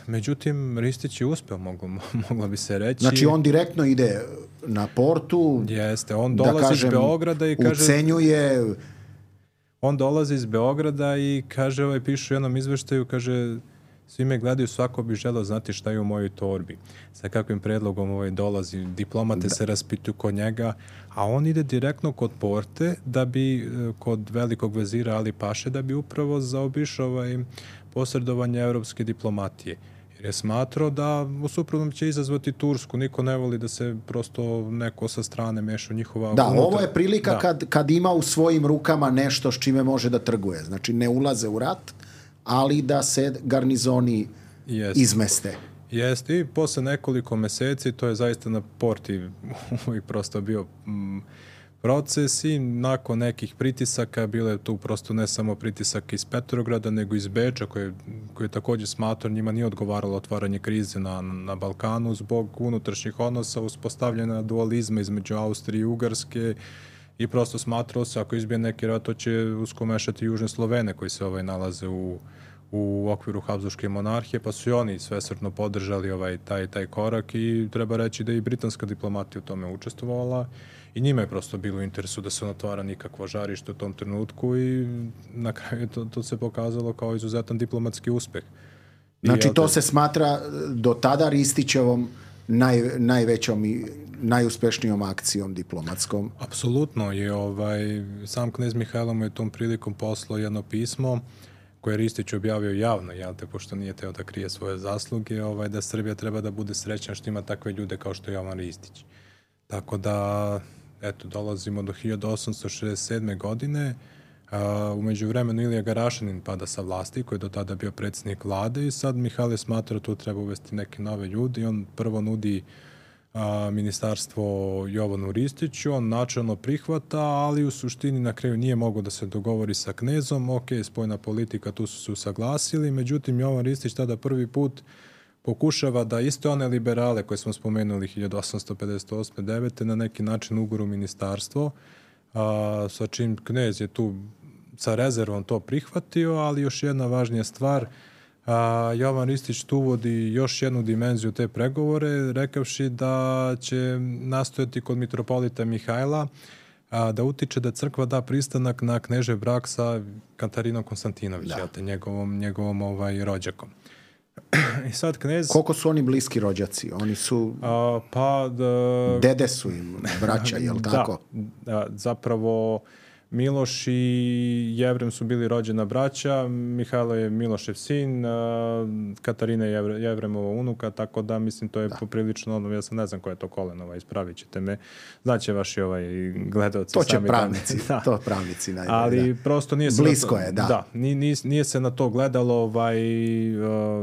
Međutim, Ristić je uspeo, moglo bi se reći. Znači, on direktno ide na Portu. Jeste, on dolazi iz Beograda i kaže... Ucenjuje... On dolazi iz Beograda i kaže, piše u jednom izveštaju, kaže, svi me gledaju, svako bi želeo znati šta je u mojoj torbi. Sa kakvim predlogom dolazi, diplomate se raspituju kod njega, a on ide direktno kod Porte, da bi, kod velikog vezira Ali Paše, da bi upravo zaobišao posredovanje evropske diplomatije. Jer je smatrao da u suprotnom će izazvati Tursku. Niko ne voli da se prosto neko sa strane meša u njihova... Da, ovo je prilika kad ima u svojim rukama nešto s čime može da trguje. Znači, ne ulaze u rat, ali da se garnizoni izmeste. Jeste, i posle nekoliko meseci, to je zaista na Porti uvijek prosto bio proces i nakon nekih pritisaka, bilo je tu prosto ne samo pritisak iz Petrograda, nego iz Beča, koji je također smatrao, njima nije odgovaralo otvaranje krize na Balkanu zbog unutrašnjih odnosa, uspostavljena dualizma između Austrije i Ugarske i prosto smatrao se, ako izbije neki rat, to će uskomešati južne Slovene koji se nalaze u u okviru Habsburške monarhije, pa su i oni svesrdno podržali taj korak i treba reći da i britanska diplomatija u tome učestvovala i njima je prosto bilo u interesu da se ne otvara nikakvo žarište u tom trenutku i na kraju to se pokazalo kao izuzetan diplomatski uspeh. Znači to se smatra do tada Ristićevom najvećom i najuspešnijom akcijom diplomatskom. Apsolutno je sam knez Mihajlo mu je tom prilikom poslao jedno pismo koje je Ristić objavio javno, pošto nije teo da krije svoje zasluge, da Srbija treba da bude srećna što ima takve ljude kao što je Jovan Ristić. Tako da, dolazimo do 1867. godine. U međuvremenu Ilija Garašanin pada sa vlasti, koji je do tada bio predsjednik vlade i sad Mihajlo smatra tu treba uvesti neke nove ljude i on prvo nudi ministarstvo Jovanu Ristiću, on načelno prihvata, ali u suštini na kraju nije mogao da se dogovori sa knezom, spoljna politika, tu su se usaglasili, međutim Jovan Ristić tada prvi put pokušava da iste one liberale koje smo spomenuli 1858-9 na neki način uguru ministarstvo, sa čim knez je tu sa rezervom to prihvatio, ali još jedna važnija stvar, Jovan Ristić tu uvodi još jednu dimenziju te pregovore, rekavši da će nastojati kod mitropolita Mihajla da utiče da crkva da pristanak na knežev brak sa Katarinom Konstantinović, njegovom rođakom. I sad knez... Koliko su oni bliski rođaci? Oni su... Dede su im braća, je li tako? Da, zapravo Miloš i Jevrem su bili rođena braća, Mihajlo je Milošev sin, Katarina je Jevremova unuka, tako da mislim to je poprilično, ja sam ne znam koje je to koleno, ispravit ćete me, znaće vaši gledalci. To će pravnici, to pravnici najbolje. Ali prosto nije se blisko je, da. Da, nije se na to gledalo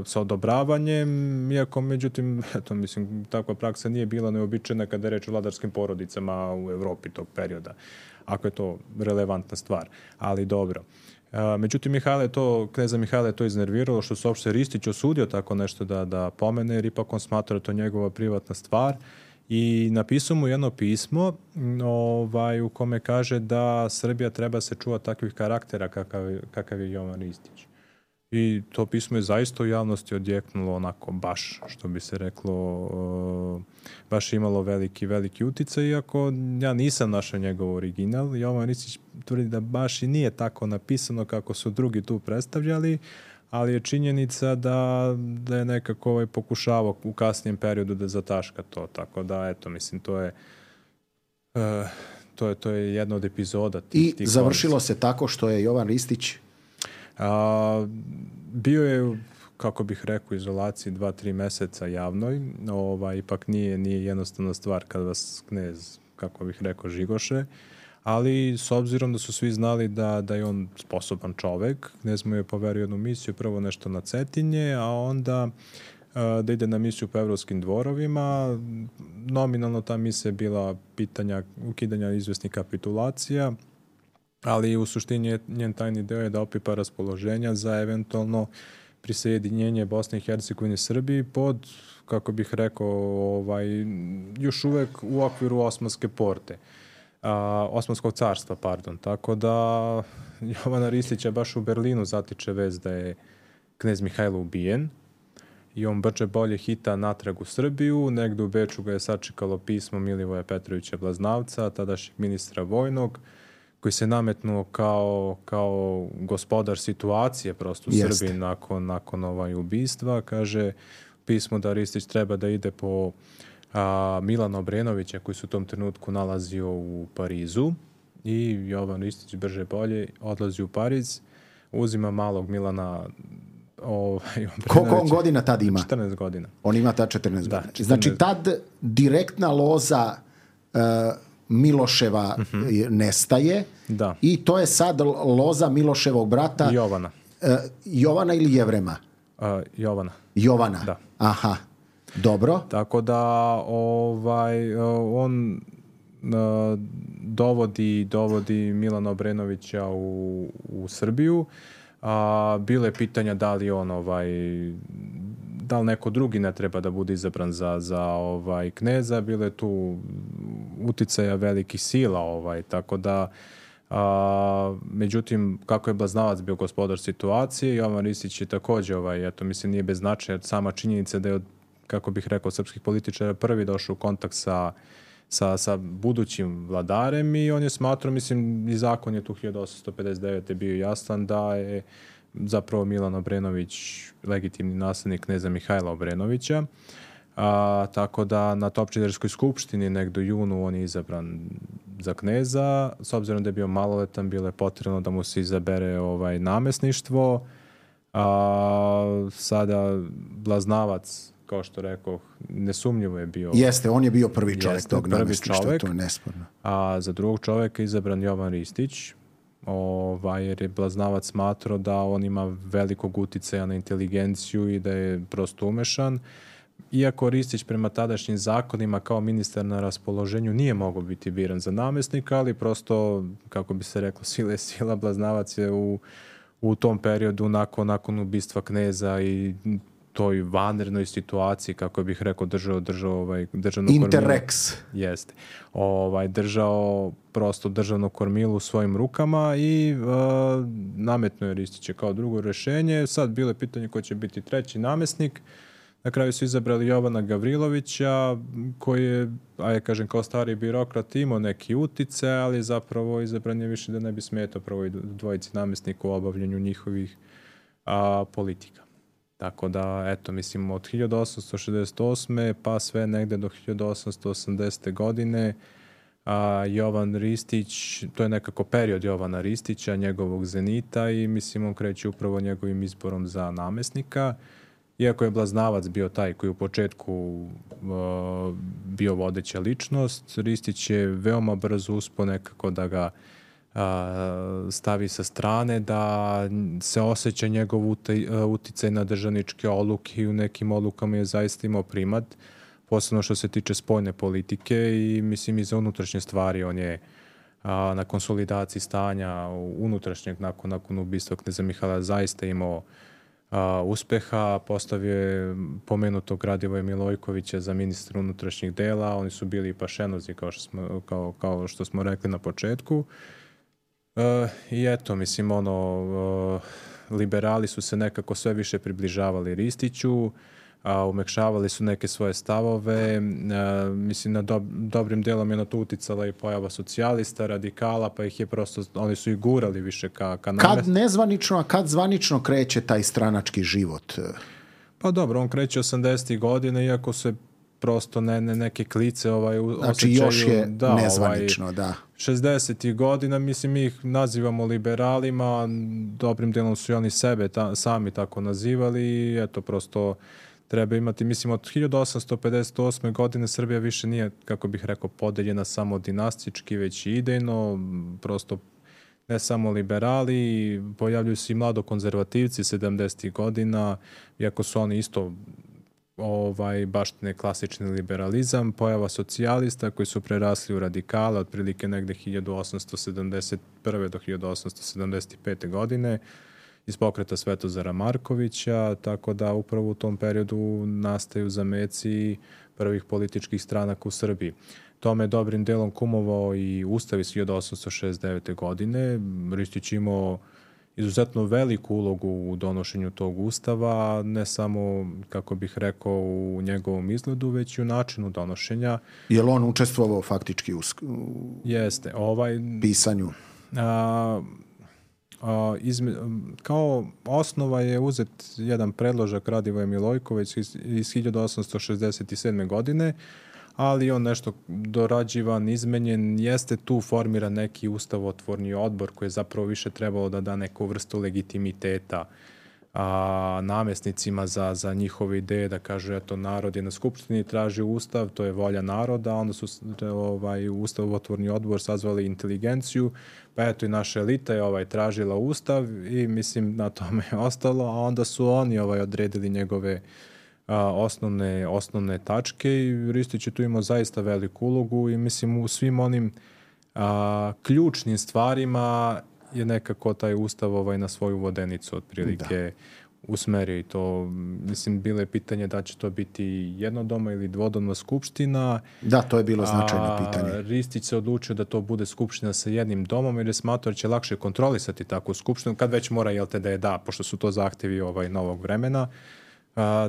sa odobravanjem, iako međutim, mislim, takva praksa nije bila neobičajna kada je reč o vladarskim porodicama u Evropi tog perioda, ako je to relevantna stvar, ali dobro. Međutim, kneza Mihajla je to iznerviralo što se uopšte Ristić osudio tako nešto da pomene, jer ipak on smatra to njegova privatna stvar i napisao mu jedno pismo u kome kaže da Srbija treba se čuva takvih karaktera kakav je Jovan Ristić. I to pismo je zaista u javnosti odjeknulo onako baš, što bi se reklo, baš imalo veliki uticaj, iako ja nisam našao njegov original. Jovan Ristić tvrdi da baš i nije tako napisano kako su drugi tu predstavljali, ali je činjenica da je nekako pokušavao u kasnijem periodu da zataška to. Tako da, mislim, to je jedna od epizoda. I završilo se tako što je Jovan Ristić bio je, kako bih rekao, izolaciji 2-3 meseca javnoj. Ipak nije jednostavna stvar kad vas knez, kako bih rekao, žigoše, ali s obzirom da su svi znali da je on sposoban čovek, knez mu je poverio jednu misiju, prvo nešto na Cetinje, a onda da ide na misiju po evropskim dvorovima. Nominalno ta misija je bila pitanja ukidanja izvesnih kapitulacija, ali u suštini njen tajni deo je da opipa raspoloženja za eventualno prisjedinjenje Bosne i Hercegovine Srbiji pod, kako bih rekao, još uvek u okviru Osmanskog carstva, pardon. Tako da Jovana Ristića baš u Berlinu zatiče vez da je knez Mihajlo ubijen i on brže bolje hita natrag u Srbiju. Negde u Beču ga je sačekalo pismo Milivoja Petrovića Blaznavca, tadašnjeg ministra vojnog, koji se nametnuo kao gospodar situacije prosto u Srbiji nakon ubistva. Kaže pismo da Ristić treba da ide po Milana Obrenovića, koji se u tom trenutku nalazio u Parizu, i Jovan Ristić brže bolje odlazi u Pariz, uzima malog Milana Koliko on godina tad ima? 14 godina. On ima tad 14 godina. Znači tad direktna loza Miloševa nestaje i to je sad loza Miloševog brata Jovana. Jovana ili Jevrema? Jovana. Da. Aha, dobro. Tako da on dovodi Milana Obrenovića u Srbiju. Bilo je pitanja da li on da li neko drugi ne treba da bude izabran za kneza, bilo je tu uticaja velikih sila, tako da Međutim, kako je Blaznavac bio gospodar situacije, Jovan Ristić je također, mislim, nije bez značaja sama činjenica da je od, kako bih rekao, srpskih političara prvi došao u kontakt sa budućim vladarem i on je smatrao, mislim, i zakon je tu 1859. bio jasan da je zapravo Milan Obrenović legitimni nasljednik kneza Mihajla Obrenovića. Tako da na Topčiderskoj skupštini negdje u junu on je izabran za kneza. S obzirom da je bio maloletan, bilo je potrebno da mu se izabere namjesništvo. Sada Blaznavac, kao što rekoh, nesumnjivo je bio... Jeste, on je bio prvi čovjek tog namjesništva, to je nesporno. A za drugog čovjeka je izabran Jovan Ristić, jer je Blaznavac smatrao da on ima velikog uticaja na inteligenciju i da je prosto umešan. Iako Ristić prema tadašnjim zakonima kao ministar na raspoloženju nije mogao biti biran za namjesnika, ali prosto, kako bi se reklo, sila, Blaznavac je u tom periodu nakon ubistva kneza i toj vanrednoj situaciji, kako bih rekao, držao državno Interrex. Jeste. Držao prosto državno kormilo u svojim rukama i nametnuo je Ristića kao drugo rješenje. Sad bilo je pitanje ko će biti treći namjesnik. Na kraju su izabrali Jovana Gavrilovića, koji je, kao stari birokrat, imao neki utice, ali zapravo izabran je više da ne bi smetao prvoj dvojici namjesnika u obavljanju njihovih politika. Tako da, eto, mislim, od 1868. pa sve negde do 1880. godine Jovan Ristić, to je nekako period Jovana Ristića, njegovog zenita i mislim on kreće upravo njegovim izborom za namjesnika. Iako je Blaznavac bio taj koji u početku bio vodeća ličnost, Ristić je veoma brzo uspio nekako da ga stavi sa strane, da se osjeća njegov uticaj na državničke odluke i u nekim odlukama je zaista imao primat, posebno što se tiče spoljne politike i mislim i za unutrašnje stvari. On je na konsolidaciji stanja unutrašnjeg nakon ubistva kneza Mihajla zaista imao uspeha. Postavio je pomenutog Radivoja Milojkovića za ministra unutrašnjih dela. Oni su bili pašenozi, kao što smo rekli na početku. I eto, mislim, liberali su se nekako sve više približavali Ristiću, umekšavali su neke svoje stavove. Mislim, na dobrim delom je na to uticala i pojava socijalista, radikala, pa ih je prosto, oni su ih gurali više ka Kad nezvanično, a kad zvanično kreće taj stranački život? Pa dobro, on kreće 80. godine, iako se prosto neke klice znači još je nezvanično, da. 60. godina, mislim, mi ih nazivamo liberalima, dobrim delom su i oni sebe sami tako nazivali i eto, prosto treba imati, mislim, od 1858. godine Srbija više nije, kako bih rekao, podeljena samo dinastički, već i idejno, prosto ne samo liberali, pojavljuju se i mladokonzervativci 70. godina, iako su oni isto baštine klasični liberalizam, pojava socijalista koji su prerasli u radikale otprilike negde 1871. do 1875. godine iz pokreta Svetozara Markovića, tako da upravo u tom periodu nastaju zameci prvih političkih stranaka u Srbiji. Tome je dobrim delom kumovao i Ustav iz 1869. godine. Ristić imao izuzetno veliku ulogu u donošenju tog ustava, ne samo, kako bih rekao, u njegovom izgledu, već i u načinu donošenja. Je li on učestvovao faktički u Jeste, pisanju? Kao osnova je uzet jedan predložak Radivoja Milojkovića iz 1867. godine, ali on nešto dorađivan, izmenjen, jeste tu formiran neki ustavotvorni odbor koji je zapravo više trebalo da da neku vrstu legitimiteta namjesnicima za njihove ideje, da kažu, eto, narod je na skupštini traži ustav, to je volja naroda, onda su ustavotvorni odbor sazvali inteligenciju, pa eto i naša elita je tražila ustav i mislim na tome je ostalo, a onda su oni odredili njegove osnovne tačke i Ristić je tu imao zaista veliku ulogu i mislim u svim onim ključnim stvarima je nekako taj ustav na svoju vodenicu otprilike usmerio i to, mislim, bilo je pitanje da će to biti jednodomna ili dvodomna skupština. Da, to je bilo značajno pitanje. Ristić se odlučio da to bude skupština sa jednim domom jer je smatrao da će lakše kontrolisati takvu skupštinu, kad već mora, da je da, pošto su to zahtevi novog vremena.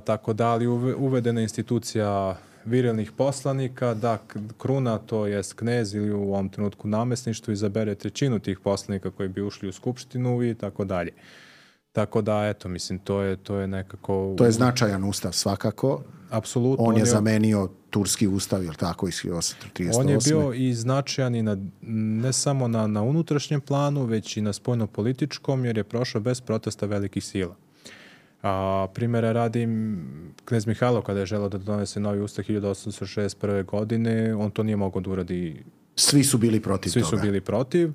Tako da, ali uvedena institucija virilnih poslanika, da kruna, to jest knez ili u ovom trenutku namesništvo, izabere trećinu tih poslanika koji bi ušli u skupštinu i tako dalje. Tako da, eto, mislim, to je nekako... To je značajan ustav, svakako. Apsolutno. On je zamenio turski ustav, je li tako, iz 1838. On je bio i značajan i ne samo na unutrašnjem planu, već i na spoljno-političkom, jer je prošao bez protesta velikih sila. Primjera radim, knez Mihajlo kada je želeo da donese novi ustav 1861. godine, on to nije mogao da uradi. Svi su bili protiv toga. Svi su bili protiv.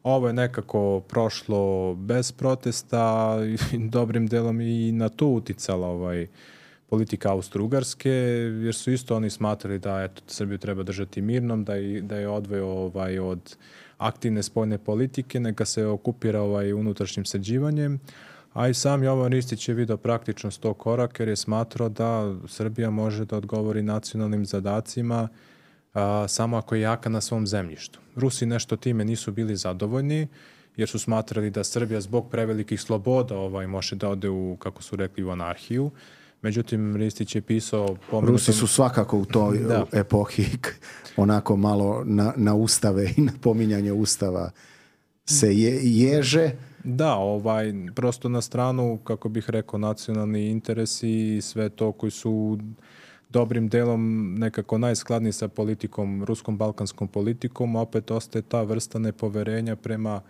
Ovo je nekako prošlo bez protesta, dobrim delom i na to uticala politika Austro-Ugarske, jer su isto oni smatrali da Srbiju treba držati mirnom, da je odveo od aktivne spoljne politike, neka se okupira unutrašnjim sređivanjem. A i sam Jovan Ristić je vidio praktičnost tog koraka jer je smatrao da Srbija može da odgovori nacionalnim zadacima samo ako je jaka na svom zemljištu. Rusi nešto time nisu bili zadovoljni jer su smatrali da Srbija zbog prevelikih sloboda može da ode u, kako su rekli, u anarhiju. Međutim, Ristić je pisao... Rusi su svakako u toj epohi onako malo na ustave i na pominjanje ustava se ježe. Da, prosto na stranu, kako bih rekao, nacionalni interesi i sve to koji su dobrim delom nekako najskladniji sa politikom, ruskom balkanskom politikom, opet ostaje ta vrsta nepoverenja prema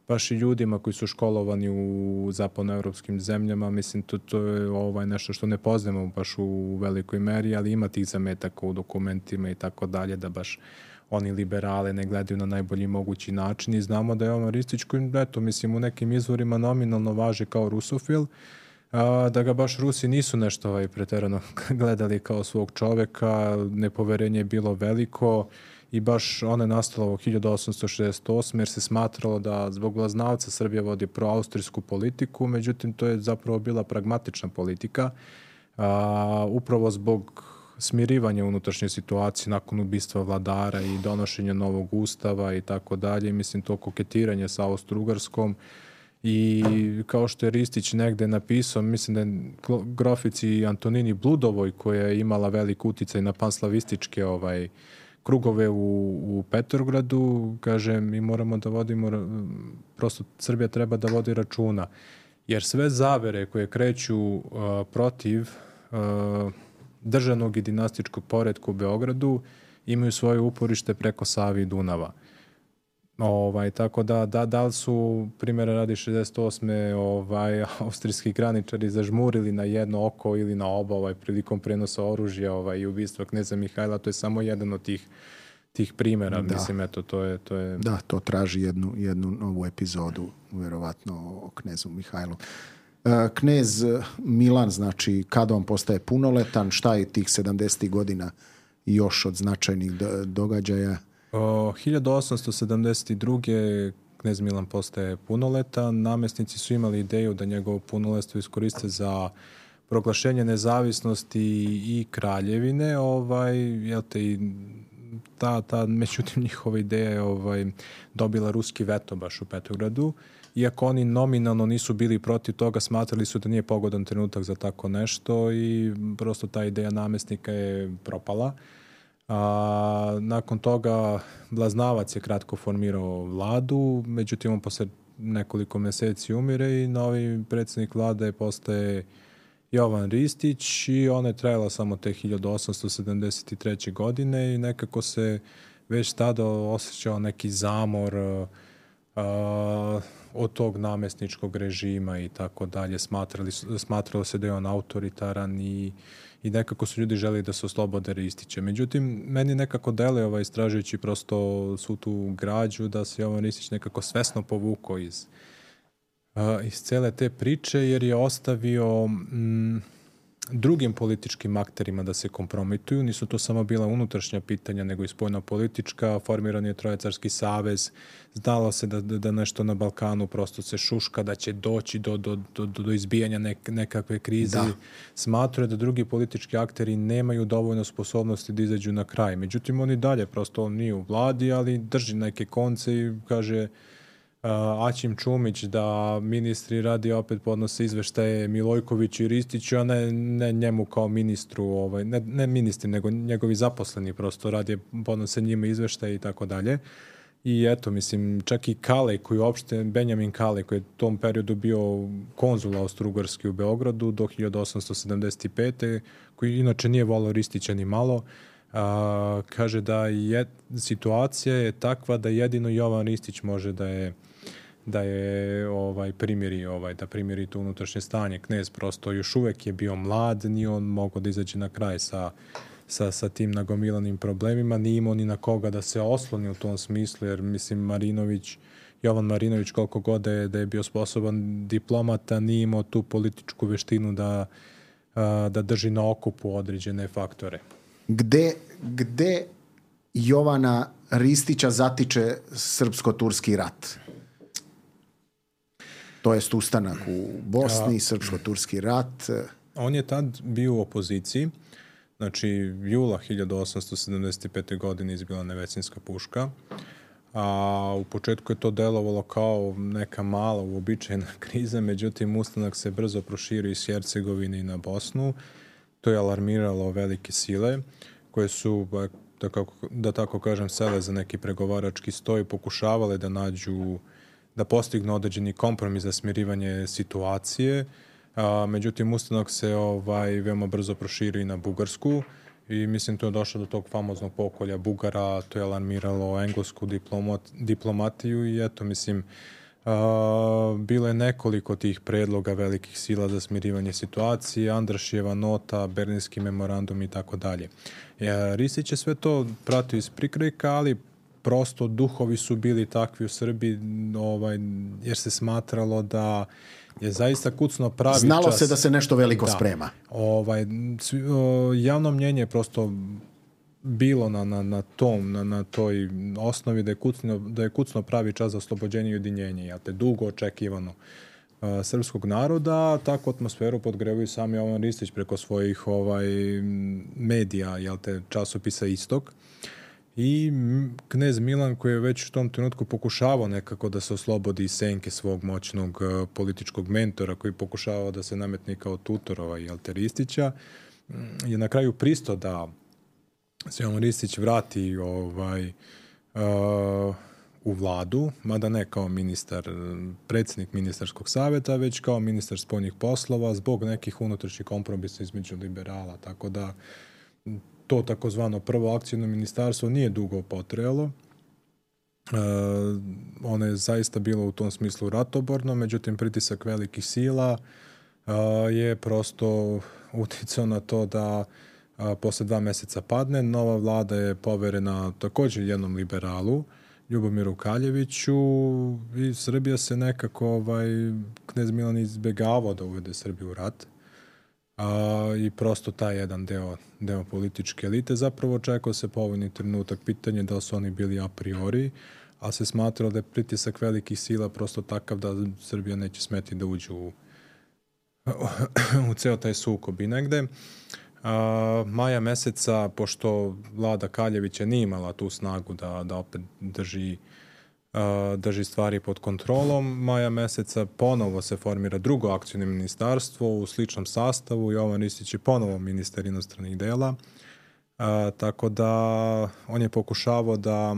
baš i ljudima koji su školovani u zapadnoevropskim zemljama. Mislim, to je nešto što ne poznajemo baš u velikoj meri, ali ima tih zametaka u dokumentima i tako dalje, da baš oni liberale ne gledaju na najbolji mogući način i znamo da je Jovan Ristić koji, mislim, u nekim izvorima nominalno važi kao rusofil, da ga baš Rusi nisu nešto preterano gledali kao svog čoveka, nepoverenje je bilo veliko i baš ono je nastalo u 1868. jer se smatralo da zbog Vlaznavca Srbija vodi proaustrijsku politiku, međutim to je zapravo bila pragmatična politika, upravo zbog smirivanja unutrašnje situacije nakon ubistva vladara i donošenja novog ustava i tako dalje. Mislim, to koketiranje sa Austro-Ugarskom i kao što je Ristić negde napisao, mislim da je grofici Antonini Bludovoj, koja je imala velik uticaj na panslavističke krugove u Petrogradu, kaže, mi moramo da vodimo, prosto Srbija treba da vodi računa, jer sve zavere koje kreću protiv državnog i dinastičkog poretka u Beogradu imaju svoje uporište preko Save i Dunava. Tako da li su, primjera radi 68. Austrijski graničari zažmurili na jedno oko ili na oba prilikom prenosa oružja i ubistva kneza Mihajla, to je samo jedan od tih primjera. Da. Mislim, eto, to je... Da, to traži jednu novu epizodu, vjerovatno, o knezu Mihajlu. Knez Milan, znači, kada on postaje punoletan, šta je tih 70. godina još od značajnih događaja? 1872. knez Milan postaje punoletan. Namesnici su imali ideju da njegovo punoletstvo iskoriste za proglašenje nezavisnosti i kraljevine. Međutim, njihova ideja je dobila ruski veto baš u Petrogradu. Iako oni nominalno nisu bili protiv toga, smatrali su da nije pogodan trenutak za tako nešto i prosto ta ideja namesnika je propala. Nakon toga Blaznavac je kratko formirao vladu, međutim on posle nekoliko meseci umire i novi predsjednik vlade postaje Jovan Ristić i ona je trajala samo te 1873. godine i nekako se već tada osjećao neki zamor od tog namesničkog režima i tako dalje. Smatralo se da je on autoritaran i nekako su ljudi želi da se oslobode Ristića. Međutim, meni nekako deluje istražujući prosto svu tu građu da se Jovan Ristić nekako svesno povukao iz cele te priče jer je ostavio drugim političkim akterima da se kompromituju. Nisu to samo bila unutrašnja pitanja, nego i spoljno-politička. Formiran je Trojecarski savez. Znalo se da nešto na Balkanu prosto se šuška, da će doći do izbijanja nekakve krize. Smatraju da drugi politički akteri nemaju dovoljno sposobnosti da izađu na kraj. Međutim, oni dalje, prosto on nije u vladi, ali drži neke konce i kaže Aćim Čumić da ministri radi opet podnose izveštaje Milojkoviću i Ristiću, a ne njemu kao ministru, ne ministri, nego njegovi zaposleni prosto radi, podnose njima izveštaje i tako dalje. I eto, mislim, čak i Kalej, Benjamin Kalej, koji je u tom periodu bio konzul Austro-Ugarski u Beogradu do 1875. koji inače nije volao Ristića ni malo, kaže da situacija je takva da jedino Jovan Ristić može da primiri to unutrašnje stanje. Knez prosto još uvek je bio mlad, nije on mogao da izađe na kraj sa tim nagomilanim problemima, nije imao ni na koga da se osloni u tom smislu, jer mislim Jovan Marinović koliko god da je bio sposoban diplomata, nije imao tu političku veštinu da drži na okupu određene faktore. Gde Jovana Ristića zatiče srpsko-turski rat? To jest ustanak u Bosni, srpsko-turski rat. On je tad bio u opoziciji. Znači, jula 1875. godine izbila Nevesinjska puška. A u početku je to delovalo kao neka mala uobičajena kriza, međutim, ustanak se brzo proširio iz Hercegovine i na Bosnu. To je alarmiralo velike sile koje su, da tako kažem, sele za neki pregovarački stoj, pokušavale da postignu određeni kompromis za smirivanje situacije. Međutim, ustanak se veoma brzo proširio i na Bugarsku i mislim to je došlo do tog famoznog pokolja Bugara, to je alarmiralo englesku diplomatiju i eto, mislim, bilo je nekoliko tih predloga velikih sila za smirivanje situacije, Andrašijeva nota, Berlinski memorandum i tako dalje. Ristić je sve to pratio iz prikrajka, ali prosto duhovi su bili takvi u Srbiji, jer se smatralo da je zaista kucno pravi čas. Znalo se da se nešto veliko sprema. Javno mnjenje je prosto bilo na toj osnovi da je kucno pravi čas za oslobođenje i ujedinjenje, jel te, dugo očekivano srpskog naroda. Takvu atmosferu podgrevaju sami Jovan Ristić preko svojih medija, jel te, časopisa Istok. I knez Milan, koji je već u tom trenutku pokušavao nekako da se oslobodi iz senke svog moćnog političkog mentora, koji pokušavao da se nametne kao tutor jel te, Ristića, je na kraju pristao da se Jovan Ristić vrati u vladu, mada ne kao predsjednik ministarskog savjeta, već kao ministar spoljnih poslova zbog nekih unutrašnjih kompromisa između liberala, tako da to takozvano prvo akcijno ministarstvo nije dugo potrajalo. Ono je zaista bilo u tom smislu ratoborno, međutim pritisak velikih sila je prosto uticao na to da posle 2 meseca padne. Nova vlada je poverena također jednom liberalu, Ljubomiru Kaljeviću, i Srbija se nekako, knez Milan izbegavao da uvede Srbiju u rat. I prosto taj jedan deo političke elite zapravo čekao se povoljni trenutak. Pitanje da li su oni bili a priori, ali se smatralo da je pritisak velikih sila prosto takav da Srbija neće smeti da uđe u ceo taj sukob. I negde maja meseca, pošto vlada Kaljevića nije imala tu snagu da opet drži stvari pod kontrolom, maja meseca ponovo se formira drugo akcijno ministarstvo u sličnom sastavu. Jovan Ristić je ponovo ministar inostranih dela, tako da on je pokušavao da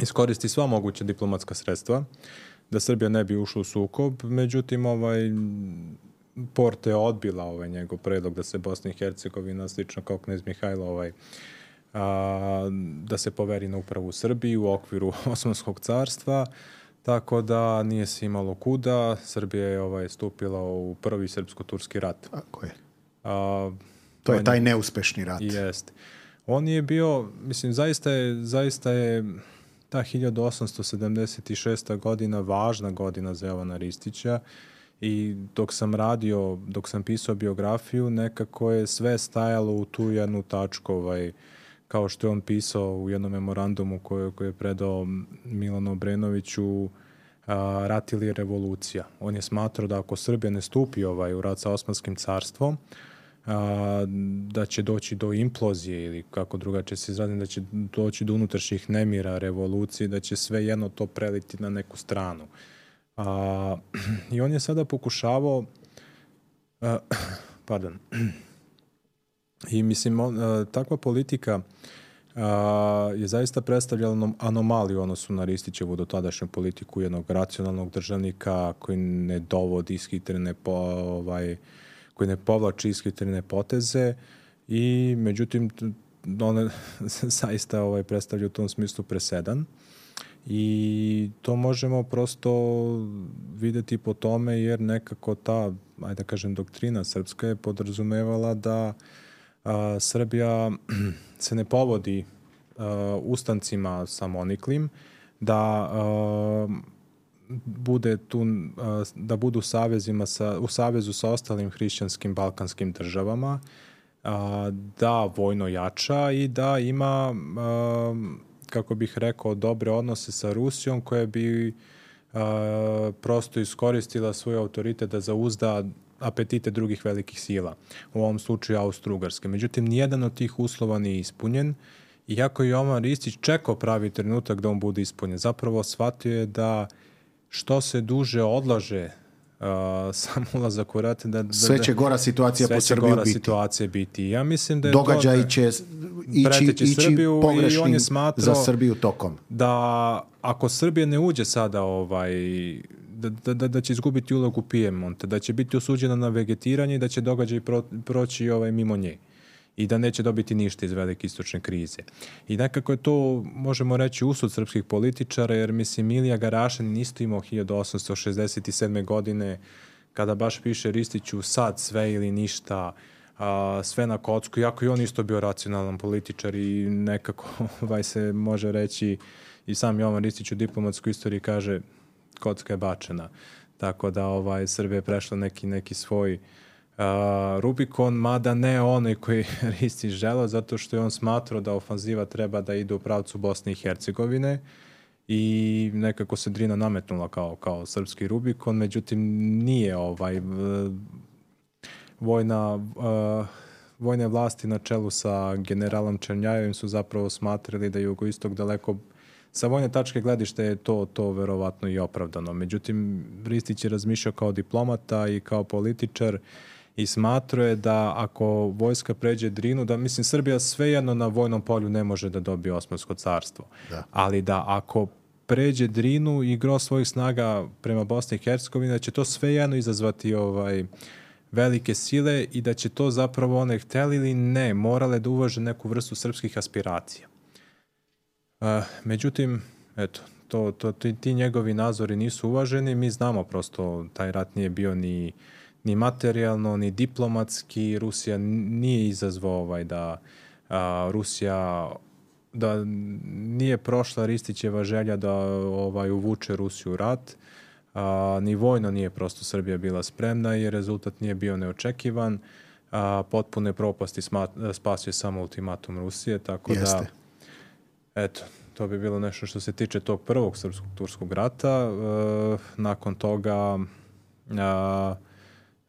iskoristi sva moguća diplomatska sredstva da Srbija ne bi ušla u sukob. Međutim, Porte je odbila njegov predlog da se Bosna i Hercegovina, slično kao knez Mihajlo, da se poveri na upravu u Srbiji u okviru Osmanskog carstva, tako da nije se imalo kuda. Srbija je stupila u prvi srpsko-turski rat. Tako je. To je taj neuspešni rat. Jeste. On je bio, mislim, zaista je ta 1876. godina važna godina za Jovana Ristića, I dok sam pisao biografiju, nekako je sve stajalo u tu jednu tačku, kao što je on pisao u jednom memorandumu koji je predao Milanu Obrenoviću, rat ili revolucija. On je smatrao da ako Srbija ne stupi u rat sa Osmanskim carstvom, da će doći do implozije ili kako drugačije se izrazim, da će doći do unutrašnjih nemira, revolucije, da će sve jedno to preliti na neku stranu. I on je sada pokušavao i mislim takva politika je zaista predstavljala anomaliju u odnosu na Ristićevu dotadašnju politiku jednog racionalnog državnika koji ne dovodi ishitrene koji ne povlači ishitrene poteze i međutim one zaista predstavlja u tom smislu presedan. I to možemo prosto videti po tome jer nekako ta, ajde da kažem, doktrina srpska je podrazumevala da Srbija se ne povodi ustancima samoniklim, da bude tu, da budu u savezu sa ostalim hrišćanskim balkanskim državama, da vojno jača i da ima kako bih rekao, dobre odnose sa Rusijom koja bi prosto iskoristila svoj autoritet da zauzda apetite drugih velikih sila, u ovom slučaju Austro-Ugarske. Međutim, nijedan od tih uslova nije ispunjen, iako je Jovan Ristić čekao pravi trenutak da on bude ispunjen. Zapravo shvatio je da što se duže odlaže sam ulazak u rat, sve će gora situacija po Srbiju biti. Situacija biti. Ja mislim da je događaj će ići Srbiju pogrešnim i on je smatrao za Srbiju tokom. Da ako Srbija ne uđe sada da će izgubiti ulogu Pijemonta, da će biti osuđena na vegetiranje i da će događaj proći mimo nje i da neće dobiti ništa iz velike istočne krize. I nekako je to, možemo reći, usud srpskih političara, jer mislim Milija Garašanin isto imao 1867. godine, kada baš piše Ristiću sad sve ili ništa, sve na kocku, iako i on isto bio racionalan političar i nekako se može reći, i sam Jovan Ristić u diplomatskoj istoriji kaže kocka je bačena. Tako da Srbija je prešla neki svoj Rubikon, mada ne onaj koji Ristić želeo, zato što je on smatrao da ofanziva treba da ide u pravcu Bosne i Hercegovine i nekako se Drina nametnula kao srpski Rubikon, međutim nije vojne vlasti na čelu sa generalom Černjajevim su zapravo smatrali da je jugoistok daleko, sa vojne tačke gledišta je to verovatno i opravdano. Međutim, Ristić je razmišljao kao diplomata i kao političar i smatrao je da ako vojska pređe Drinu, da mislim Srbija svejedno na vojnom polju ne može da dobije Osmansko carstvo. Da. Ali da ako pređe Drinu i gro svojih snaga prema Bosni i Hercegovini, da će to svejedno izazvati velike sile i da će to zapravo one hteli ili ne, morale da uvaže neku vrstu srpskih aspiracija. Međutim, eto, ti njegovi nazori nisu uvaženi. Mi znamo prosto, taj rat nije bio ni materijalno, ni diplomatski. Rusija nije izazvao da Rusija, da nije prošla Ristićeva želja da uvuče Rusiju u rat. Ni vojno nije prosto Srbija bila spremna i rezultat nije bio neočekivan. Potpune propasti spasio samo ultimatum Rusije, tako Jeste. Da eto, to bi bilo nešto što se tiče tog prvog srpsko-turskog rata. Nakon toga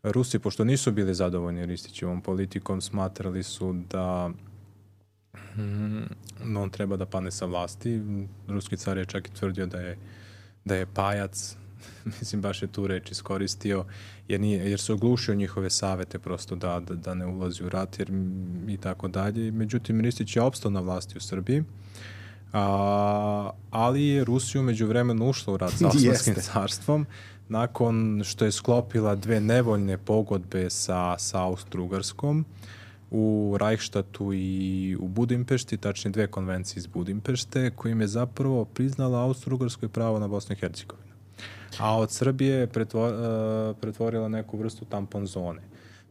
Rusi, pošto nisu bili zadovoljni Ristićevom politikom, smatrali su da on treba da pane sa vlasti. Ruski car je čak i tvrdio da je pajac. Mislim, baš je tu reč iskoristio, jer se oglušio njihove savete prosto da ne ulazi u rat i tako dalje. Međutim, Ristić je opstao na vlasti u Srbiji, ali je Rusija međuvremeno ušla u rat sa Osmanskim carstvom nakon što je sklopila 2 nevoljne pogodbe sa Austro-Ugarskom u Reichstadtu i u Budimpešti, tačnije 2 konvencije iz Budimpešte, kojim je zapravo priznala Austro-Ugarskoj pravo na Bosnu i Hercegovinu. A od Srbije pretvorila neku vrstu tampon zone.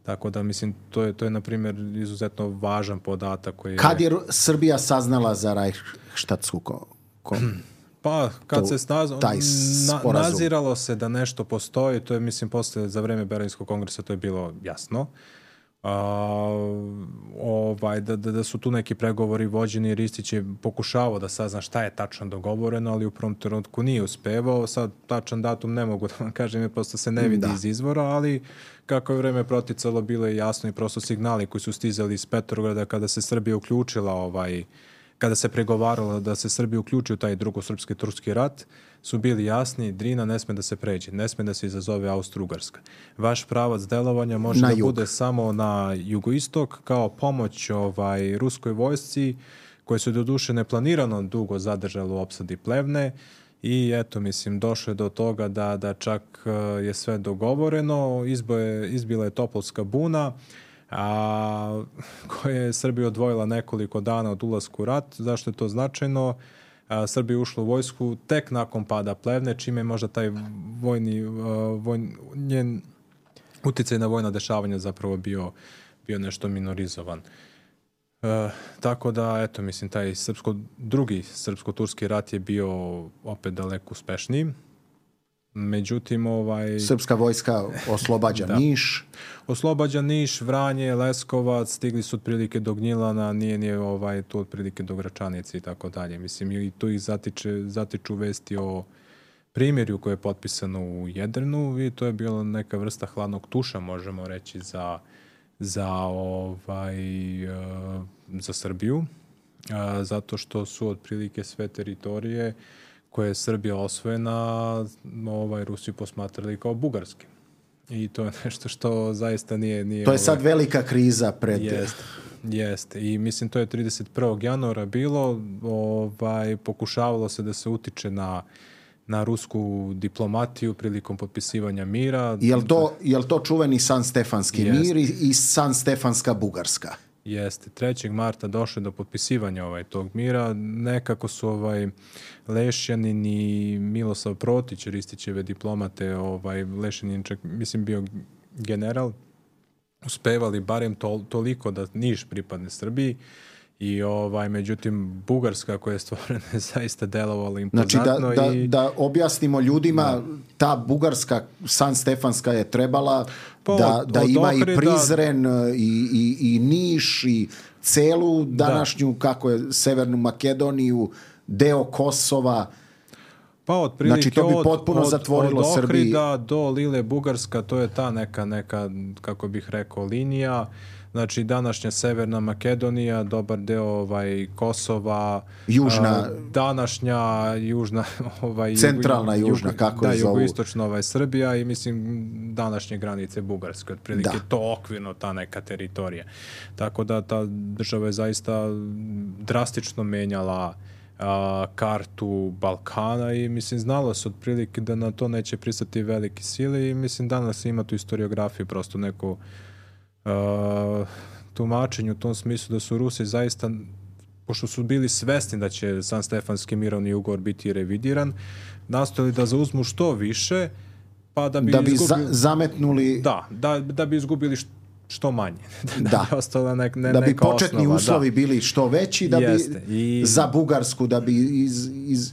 Tako da, mislim, to je na primjer, izuzetno važan podatak koji je... Kad je Srbija saznala za Reichstadsku Pa, kad se sporazum. naziralo se da nešto postoji, to je, mislim, posle, za vreme Berlinskog kongresa to je bilo jasno. Da su tu neki pregovori vođeni, Ristić je pokušavao da sazna šta je tačno dogovoreno, ali u prvom trenutku nije uspevao. Sad tačan datum ne mogu da vam kažem, jer prosto se ne vidi iz izvora, ali kako je vreme proticalo, bilo je jasno i prosto signali koji su stizali iz Petrograda kada se Srbija uključila kada se pregovaralo da se Srbija uključi u taj drugosrpski turski rat, su bili jasni, Drina ne sme da se pređe, ne sme da se izazove Austro-Ugarska. Vaš pravac delovanja može da bude samo na jugoistok kao pomoć ruskoj vojsci, koje su doduše neplanirano dugo zadržalo u opsadi Plevne i eto, mislim, došlo je do toga da čak je sve dogovoreno, izbila je Topolska buna, koja je Srbija odvojila nekoliko dana od ulaska u rat. Zašto je to značajno? Srbija je ušla u vojsku tek nakon pada Plevne, čime je možda taj njen uticaj na vojna dešavanja zapravo bio nešto minorizovan. Tako da, eto, mislim, taj drugi srpsko-turski rat je bio opet daleko uspešniji. Međutim, Srpska vojska oslobađa Niš. Oslobađa Niš, Vranje, Leskovac, stigli su otprilike do Gnjilana, nije tu otprilike do Gračanice i tako dalje. Mislim, i tu ih zatiču vesti o primjerju koje je potpisano u Jedrinu i to je bila neka vrsta hladnog tuša, možemo reći, za Srbiju, zato što su otprilike sve teritorije koje je Srbija osvojena, Rusiju posmatrali kao bugarski. I to je nešto što zaista nije to je sad velika kriza pred... Jeste. I mislim, to je 31. januara bilo. Pokušavalo se da se utiče na rusku diplomatiju prilikom potpisivanja mira. Jel to čuveni San-Stefanski mir i San-Stefanska Bugarska? Jeste. 3. marta došlo do potpisivanja tog mira. Nekako su Lešjanin i Milosav Protić, Ristićeve diplomate, Lešjanin čak, mislim, bio general, uspevali barem toliko da Niš pripadne Srbiji i međutim Bugarska koja je stvorena je zaista delovala impozantno. Znači da objasnimo ljudima, ta Bugarska San-Stefanska je trebala da ima i Prizren i Niš i celu današnju, kako je, Severnu Makedoniju, deo Kosova. Pa otprilike znači to bi potpuno zatvorilo od Srbiji. Ohrida do Lile Bugarska, to je ta neka, kako bih rekao, linija. Znači, današnja Severna Makedonija, dobar deo Kosova, današnja južna... centralna južna, kako je zovu. Jugoistočna Srbija i, mislim, današnje granice Bugarske, otprilike to okvirno, ta neka teritorija. Tako da ta država je zaista drastično menjala kartu Balkana i, mislim, znalo se otprilike da na to neće pristati velike sile i, mislim, danas ima tu historiografiju, prosto neko tumačenje u tom smislu da su Rusi zaista, pošto su bili svesni da će San-Stefanski mirovni ugovor biti revidiran, nastojali da zauzmu što više, pa da bi zametnuli... Da bi izgubili što manje. Da bi početni uslovi bili što veći, da bi za Bugarsku da bi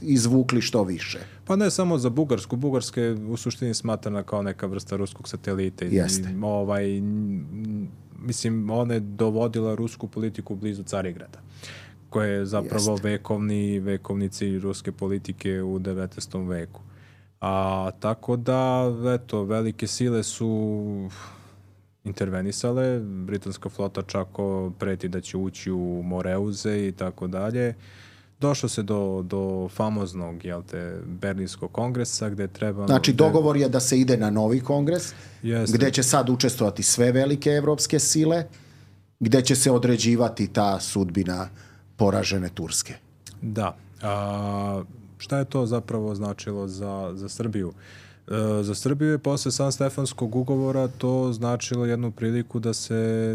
izvukli što više. Pa ne samo za Bugarsku. Bugarska je u suštini smatrana kao neka vrsta ruskog satelita. Jeste. Mislim, ona je dovodila rusku politiku blizu Carigrada, koja je zapravo vekovni cilj ruske politike u 19. veku. Tako da, eto, velike sile su intervenisale, britanska flota čak preti da će ući u Moreuze i tako dalje. Došlo se do famoznog, Berlinskog kongresa gde treba... Znači, dogovor je da se ide na novi kongres, gde će sad učestvovati sve velike evropske sile, gde će se određivati ta sudbina poražene Turske. Da. Šta je to zapravo značilo za Srbiju? Za Srbiju je posle San-Stefanskog ugovora to značilo jednu priliku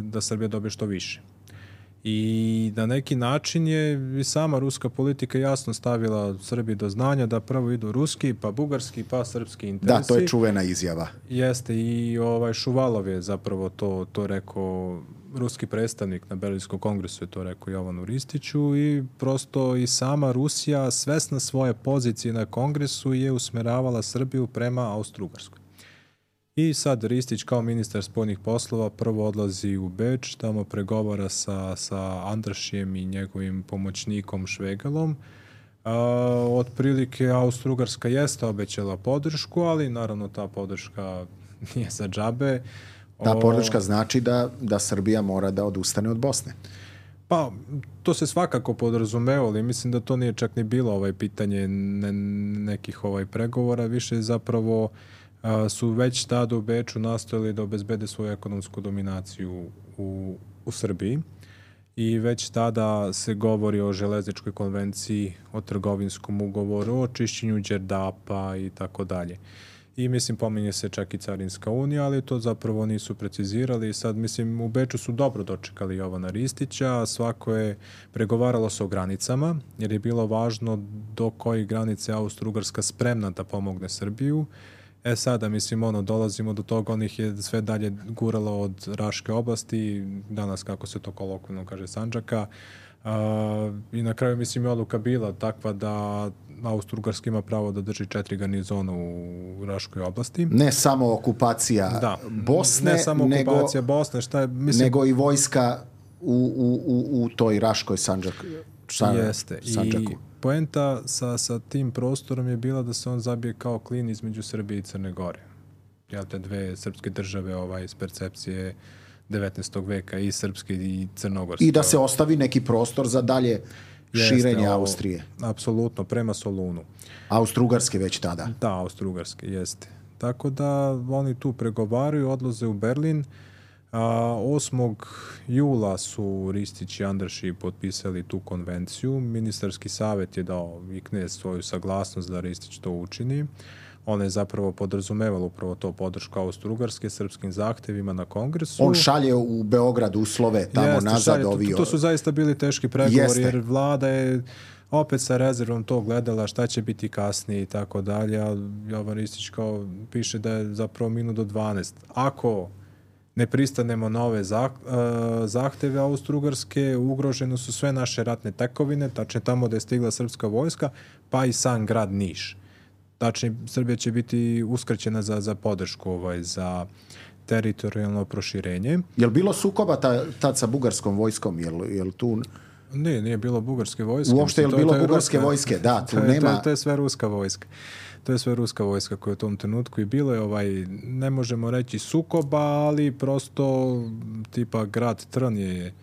da Srbija dobije što više. I na neki način je i sama ruska politika jasno stavila Srbiji do znanja da prvo idu ruski, pa bugarski, pa srpski interesi. Da, to je čuvena izjava. Jeste, i Šuvalov je zapravo to rekao ruski predstavnik na Berlinskom kongresu je to rekao Jovanu Ristiću i prosto i sama Rusija svesna svoje pozicije na kongresu je usmeravala Srbiju prema Austro-Ugarskoj. I sad Ristić kao ministar spoljnih poslova prvo odlazi u Beč, tamo pregovara sa Andrašijem i njegovim pomoćnikom Švegalom. Otprilike Austro-Ugarska jeste obećala podršku, ali naravno ta podrška nije za džabe. Ta podrška znači da Srbija mora da odustane od Bosne. Pa, to se svakako podrazumevalo, ali mislim da to nije čak ni bilo pitanje nekih pregovora, više zapravo su već tada u Beču nastojali da obezbede svoju ekonomsku dominaciju u Srbiji i već tada se govori o železničkoj konvenciji, o trgovinskom ugovoru, o čišćenju Đerdapa i tako dalje. I mislim pominje se čak i Carinska unija, ali to zapravo nisu precizirali i sad mislim u Beču su dobro dočekali Jovana Ristića, svako je pregovaralo se o granicama jer je bilo važno do kojih granice Austro-Ugarska spremna da pomogne Srbiju. Sada, mislim, dolazimo do toga, onih je sve dalje guralo od Raške oblasti, danas, kako se to kolokvijalno kaže, Sandžaka. I na kraju, mislim, je odluka bila takva da Austro-Ugarska ima pravo da drži 4 garnizona u Raškoj oblasti. Ne samo okupacija Bosne, ne samo okupacija Bosne, nego i vojska u toj Raškoj Sandžaku. Jeste. I poenta sa tim prostorom je bila da se on zabije kao klin između Srbije i Crne Gore. Te dve srpske države iz percepcije 19. veka, i srpske i crnogorske. I da se ostavi neki prostor za dalje širenje Austrije. Apsolutno, prema Solunu. Austro-Ugarske već tada. Da, Austro-Ugarske, jeste. Tako da oni tu pregovaraju, odlaze u Berlin. 8. jula su Ristić i Andraši potpisali tu konvenciju. Ministarski savjet je dao i knez svoju saglasnost da Ristić to učini. Ona je zapravo podrazumevala upravo to podršku Austro-Ugarske srpskim zahtevima na kongresu. On šalje u Beograd uslove tamo nazad. To su zaista bili teški pregovori jer vlada je opet sa rezervom to gledala šta će biti kasnije i tako dalje. Jovan Ristić kao piše da je zapravo minut do 12. Ako ne pristanemo na ove zahteve Austro-Ugarske, ugrožene su sve naše ratne tekovine, tačnije tamo da je stigla srpska vojska, pa i sam grad Niš. Tačnije, Srbija će biti uskraćena za podršku za teritorijalno proširenje. Je li bilo sukoba tad sa bugarskom vojskom? Je li tu... Nije bilo bugarske vojske. Uopšte je li bilo bugarske vojske? Da, tu nema... To je sve ruska vojska. To je sve ruska vojska koja je u tom trenutku i bilo je ne možemo reći sukoba, ali prosto tipa grad Trn je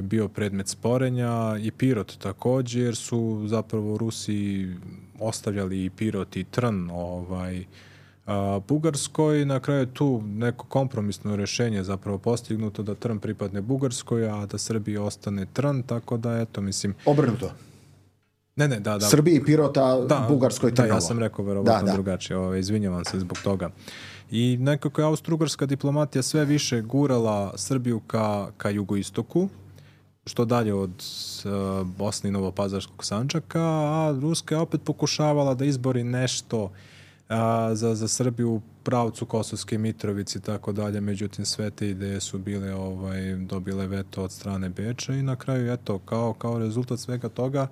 bio predmet sporenja i Pirot također, jer su zapravo Rusi ostavljali i Pirot i Trn Bugarskoj. Na kraju je tu neko kompromisno rješenje zapravo postignuto da Trn pripadne Bugarskoj, a da Srbiji ostane Trn, tako da eto, mislim... Obrnuto. Ne, da. Srbiji Pirota, Bugarskoj Trnovo. Da, ja sam rekao verovatno drugačije, izvinjavam se zbog toga. I nekako je Austro-Ugarska diplomatija sve više gurala Srbiju ka jugoistoku, što dalje od Bosne i Novopazarskog Sandžaka, a Ruska je opet pokušavala da izbori nešto za Srbiju u pravcu Kosovske Mitrovice i tako dalje, međutim sve te ideje su bile dobile veto od strane Beča i na kraju eto, kao rezultat svega toga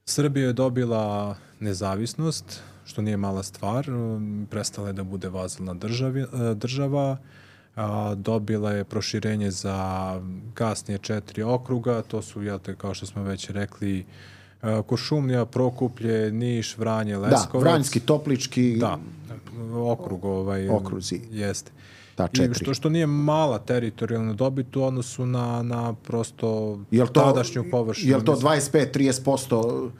Srbija je dobila nezavisnost, što nije mala stvar, prestala je da bude vazalna država, dobila je proširenje za kasnije 4 okruga, to su, kao što smo već rekli, Kuršumlija, Prokuplje, Niš, Vranje, Leskovac. Da, Vranjski, Toplički. Da, okrug okruzi. Jeste. Da, 4. I što nije mala teritorijalna dobit u odnosu na prosto tadašnju površinu. Je li to 25-30%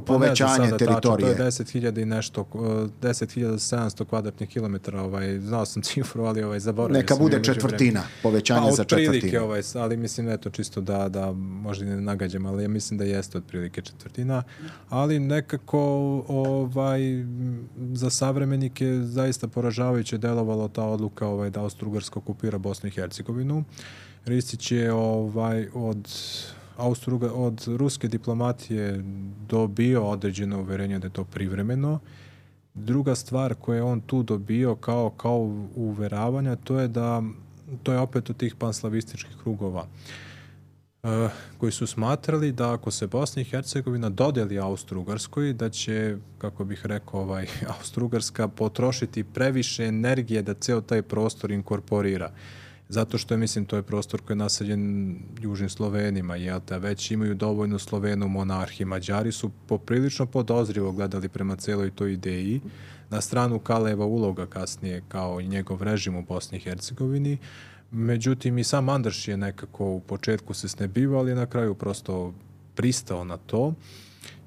povećanje teritorije? To je 10.000 i nešto, 10.700 kvadratnih kilometara, znao sam cifru, ali zaboravio sam. Neka bude četvrtina, povećanje za četvrtinu. Otprilike, ali mislim, eto, čisto da možda ne nagađam, ali ja mislim da jeste otprilike četvrtina, ali nekako za savremenike zaista poražavajuće delovalo ta odluka da Austro-Ugarska okupira Bosnu i Hercegovinu. Ristić je od ruske diplomatije dobio određeno uverenje da je to privremeno. Druga stvar koju je on tu dobio kao uveravanja, to je da to je opet od tih panslavističkih krugova koji su smatrali da ako se Bosna i Hercegovina dodeli Austro-Ugarskoj, da će, kako bih rekao, Austro-Ugarska potrošiti previše energije da ceo taj prostor inkorporira. Zato što je, mislim, to je prostor koji je naseljen južnim Slovenima, jel te, već imaju dovoljno Slovena u monarhiji. Mađari su poprilično podozrivo gledali prema celoj toj ideji. Na stranu Kaleva uloga kasnije, kao i njegov režim u Bosni i Hercegovini. Međutim, i sam Andraš je nekako u početku se snebivao, ali je na kraju prosto pristao na to.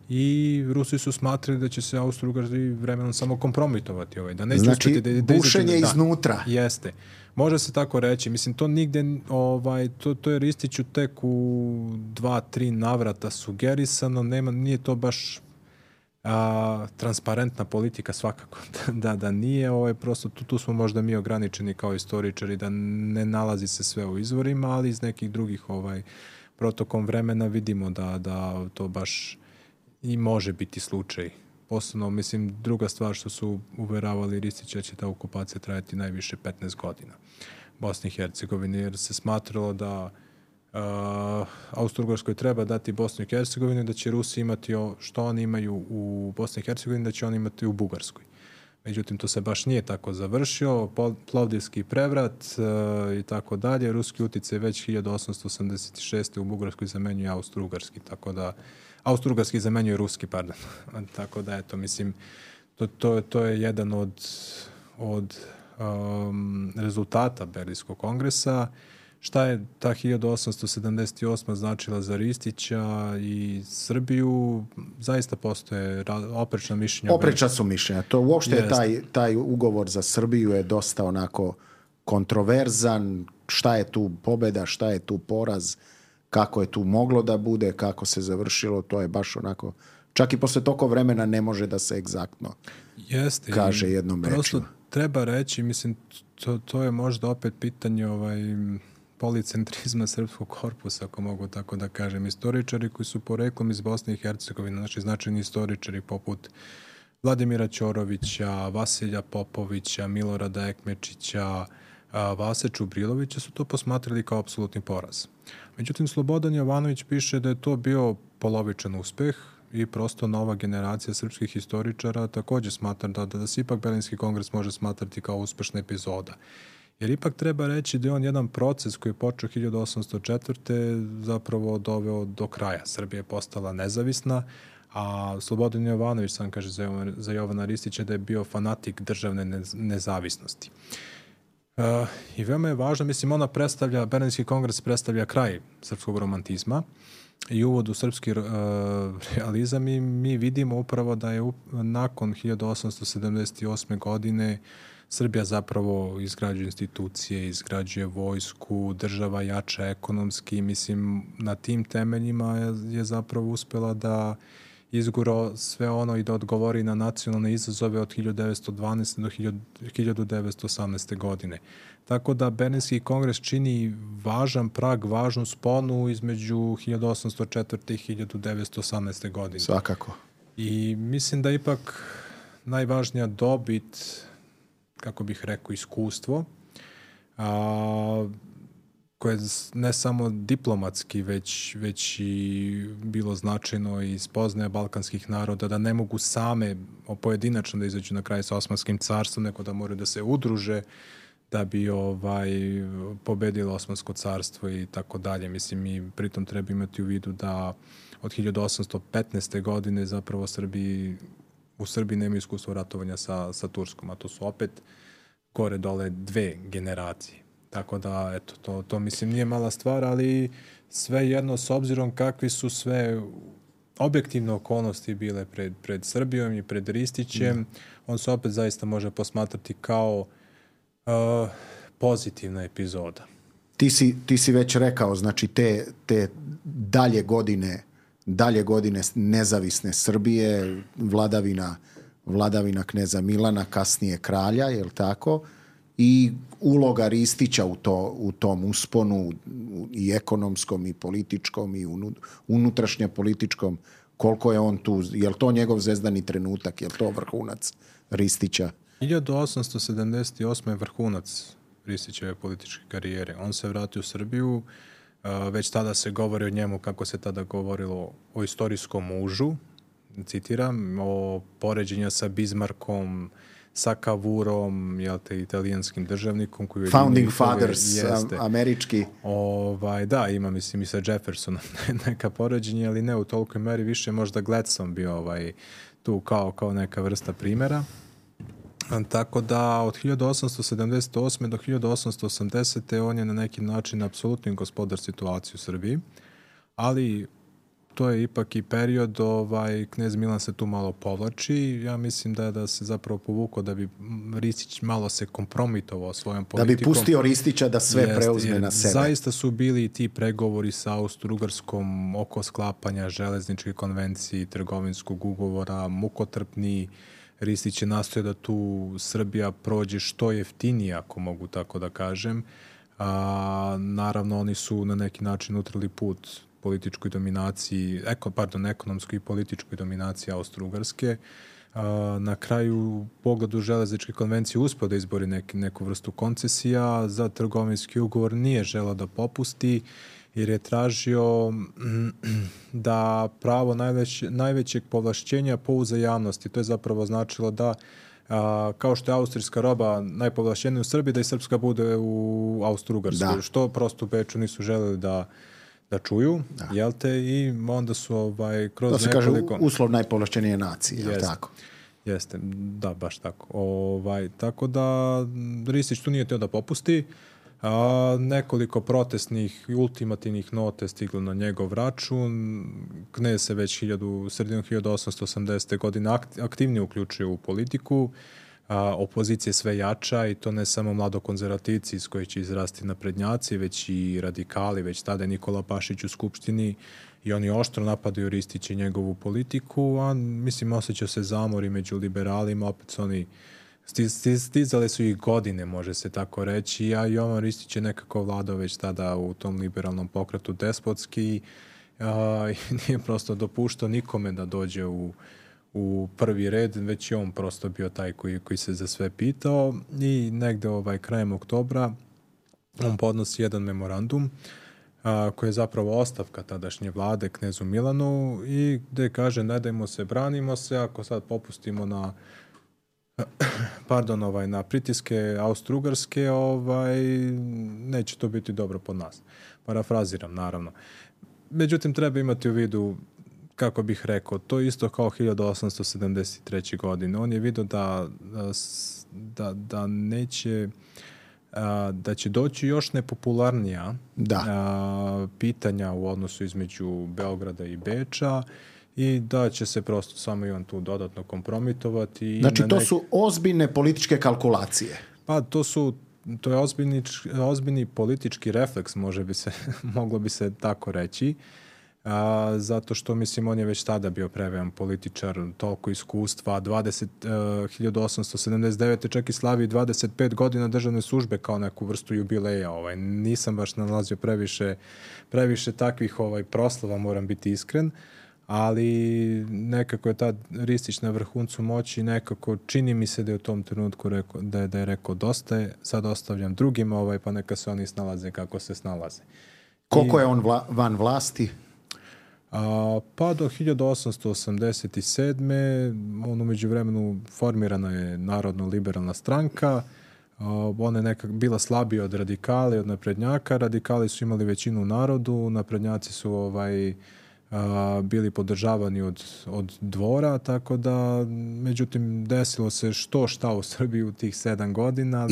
I Rusi su smatrali da će se Austro-Ugarci vremenom samo kompromitovati. Da neće znači, bušenje iznutra. Jeste. Može se tako reći. Mislim, to nigde, to je Ristiću tek u 2-3 navrata sugerisano. Nije to baš transparentna politika svakako. da nije. Prosto tu smo možda mi ograničeni kao istoričari da ne nalazi se sve u izvorima, ali iz nekih drugih protokom vremena vidimo da to baš i može biti slučaj. Posebno, mislim, druga stvar što su uveravali Ristića će ta okupacija trajati najviše 15 godina Bosni i Hercegovini, jer se smatralo da Austro-Ugarskoj treba dati Bosnu i Hercegovinu, da će Rusi imati što oni imaju u Bosni i Hercegovini, da će oni imati u Bugarskoj. Međutim, to se baš nije tako završio. Plovdivski prevrat i tako dalje. Ruski uticaj već 1886. u Bugarskoj zamenjuje Austro-Ugarski, tako da Austro-Ugarski zamenjuje Ruski, pardon. Tako da, eto, mislim, to je jedan od rezultata Berlinskog kongresa. Šta je ta 1878. značila za Ristića i Srbiju? Zaista postoje oprečna mišljenja. Oprečna su mišljenja. To uopšte je taj ugovor za Srbiju je dosta onako kontroverzan. Šta je tu pobjeda, šta je tu poraz, kako je tu moglo da bude, kako se završilo, to je baš onako, čak i posle toliko vremena ne može da se egzaktno kaže jednom rečju. Prosto treba reći, mislim, to je možda opet pitanje policentrizma srpskog korpusa, ako mogu tako da kažem. Istoričari koji su poreklom iz Bosne i Hercegovine, znači značajni istoričari poput Vladimira Ćorovića, Vasilja Popovića, Milorada Ekmečića, Vase Čubrilovića su to posmatrali kao apsolutni poraz. Međutim, Slobodan Jovanović piše da je to bio polovičan uspeh i prosto nova generacija srpskih istoričara također smatra da se ipak Berlinski kongres može smatrati kao uspešna epizoda. Jer ipak treba reći da je on jedan proces koji je počeo 1804. zapravo doveo do kraja. Srbija je postala nezavisna, a Slobodan Jovanović sam kaže za Jovana Ristića da je bio fanatik državne nezavisnosti. I veoma je važno, mislim, Berlinski kongres predstavlja kraj srpskog romantizma i uvod u srpski realizam i mi vidimo upravo da je nakon 1878. godine Srbija zapravo izgrađuje institucije, izgrađuje vojsku, država jača ekonomski. Mislim, na tim temeljima je zapravo uspela da izgura sve ono i da odgovori na nacionalne izazove od 1912. do 1918. godine. Tako da Berlinski kongres čini važan prag, važnu sponu između 1804. i 1918. godine. Svakako. I mislim da ipak najvažnija dobit, kako bih rekao, iskustvo, koje ne samo diplomatski, već i bilo značajno i spoznaje balkanskih naroda da ne mogu same pojedinačno da izađu na kraj sa Osmanskim carstvom, nego da moraju da se udruže da bi pobedilo Osmansko carstvo i tako dalje. Mislim, mi pritom treba imati u vidu da od 1815. godine zapravo u Srbiji nema iskustva ratovanja sa Turskom, a to su opet gore dole 2 generacije. Tako da, eto, to mislim nije mala stvar, ali svejedno s obzirom kakvi su sve objektivne okolnosti bile pred Srbijom i pred Ristićem, on se opet zaista može posmatrati kao pozitivna epizoda. Ti si već rekao, znači te dalje godine nezavisne Srbije, vladavina kneza Milana, kasnije kralja, jel tako? I uloga Ristića u tom usponu i ekonomskom i političkom i unutrašnje političkom, koliko je on tu, je li to njegov zvezdani trenutak, je li to vrhunac Ristića? 1878. je vrhunac Ristićeve političke karijere. On se vratio u Srbiju, već tada se govori o njemu, kako se tada govorilo, o istorijskom mužu, citiram, o poređenja sa Bismarckom, sa Kavurom, jel te, italijanskim državnikom. Koji Founding Fathers, američki. Da, ima, mislim, i sa Jeffersonom neka poređenja, ali ne u tolikoj meri, više možda Gladstone bio tu kao neka vrsta primjera. Tako da od 1878. do 1880. on je na neki način apsolutni gospodar situacije u Srbiji, ali to je ipak i period, knez Milan se tu malo povlači. Ja mislim da se zapravo povukao da bi Ristić malo se kompromitovao svojom politikom. Da bi pustio Ristića da sve preuzme na sebe. Zaista su bili ti pregovori sa Austro-Ugarskom oko sklapanja železničke konvencije, trgovinskog ugovora, mukotrpni. Ristić je nastojao da tu Srbija prođe što jeftinije, ako mogu tako da kažem. Naravno, oni su na neki način utrli put političkoj dominaciji, ekonomskoj i političkoj dominaciji Austro-Ugarske. Na kraju, u pogledu železničke konvencije, uspio da izbori neku vrstu koncesija. Za trgovinski ugovor nije želeo da popusti, jer je tražio da pravo najvećeg povlašćenja po uzajamnosti. To je zapravo značilo da, kao što je austrijska roba najpovlašćenija u Srbiji, da i srpska bude u Austro-Ugarskoj. Što prosto u Beču nisu želeli da čuju, jel te, i onda su kroz to se kaže uslov najpovlašćenije nacije, jel tako? Jeste, da, baš tako. Tako da Ristić tu nije teo da popusti. Nekoliko protestnih i ultimativnih nota je stiglo na njegov račun. Knez se već sredinom 1880. godine aktivnije uključio u politiku. Opozicija je sve jača, i to ne samo mladokonzervativci iz kojih će izrasti naprednjaci, već i radikali. Već tada je Nikola Pašić u Skupštini i oni oštro napadaju Ristića i njegovu politiku, a mislim osjećao se zamori među liberalima. Opet su oni stizale su ih godine, može se tako reći, a Jovan Ristić je nekako vladao već tada u tom liberalnom pokretu despotski, i nije prosto dopuštao nikome da dođe u prvi red, već je on prosto bio taj koji se za sve pitao, i negde krajem oktobra on podnosi jedan memorandum koji je zapravo ostavka tadašnje vlade knezu Milanu, i gde kaže: ne dajmo se, branimo se, ako sad popustimo na na pritiske Austro-Ugarske, neće to biti dobro po nas. Parafraziram, naravno. Međutim, treba imati u vidu, kako bih rekao, to isto kao 1873. godine. On je vidio da neće, da će doći još nepopularnija pitanja u odnosu između Beograda i Beča, i da će se prosto samo i on tu dodatno kompromitovati. Znači, to su ozbiljne političke kalkulacije. Pa, to je ozbiljni politički refleks, moglo bi se tako reći. Zato što, mislim, on je već tada bio previjan političar, toliko iskustva, 1879. čak i slavi 25 godina državne službe kao neku vrstu jubileja. Nisam baš nalazio previše takvih proslava, moram biti iskren, ali nekako je tad Ristić na vrhuncu moći, nekako čini mi se da je u tom trenutku da je rekao dosta je, sad ostavljam drugima, pa neka se oni snalaze kako se snalaze. Koliko je on van vlasti? Pa do 1887. On u međuvremenu formirana je Narodno-liberalna stranka. Ona je nekak bila slabija od radikali, od naprednjaka. Radikali su imali većinu u narodu, naprednjaci su bili podržavani od dvora, tako da, međutim, desilo se šta u Srbiji u tih 7 godina.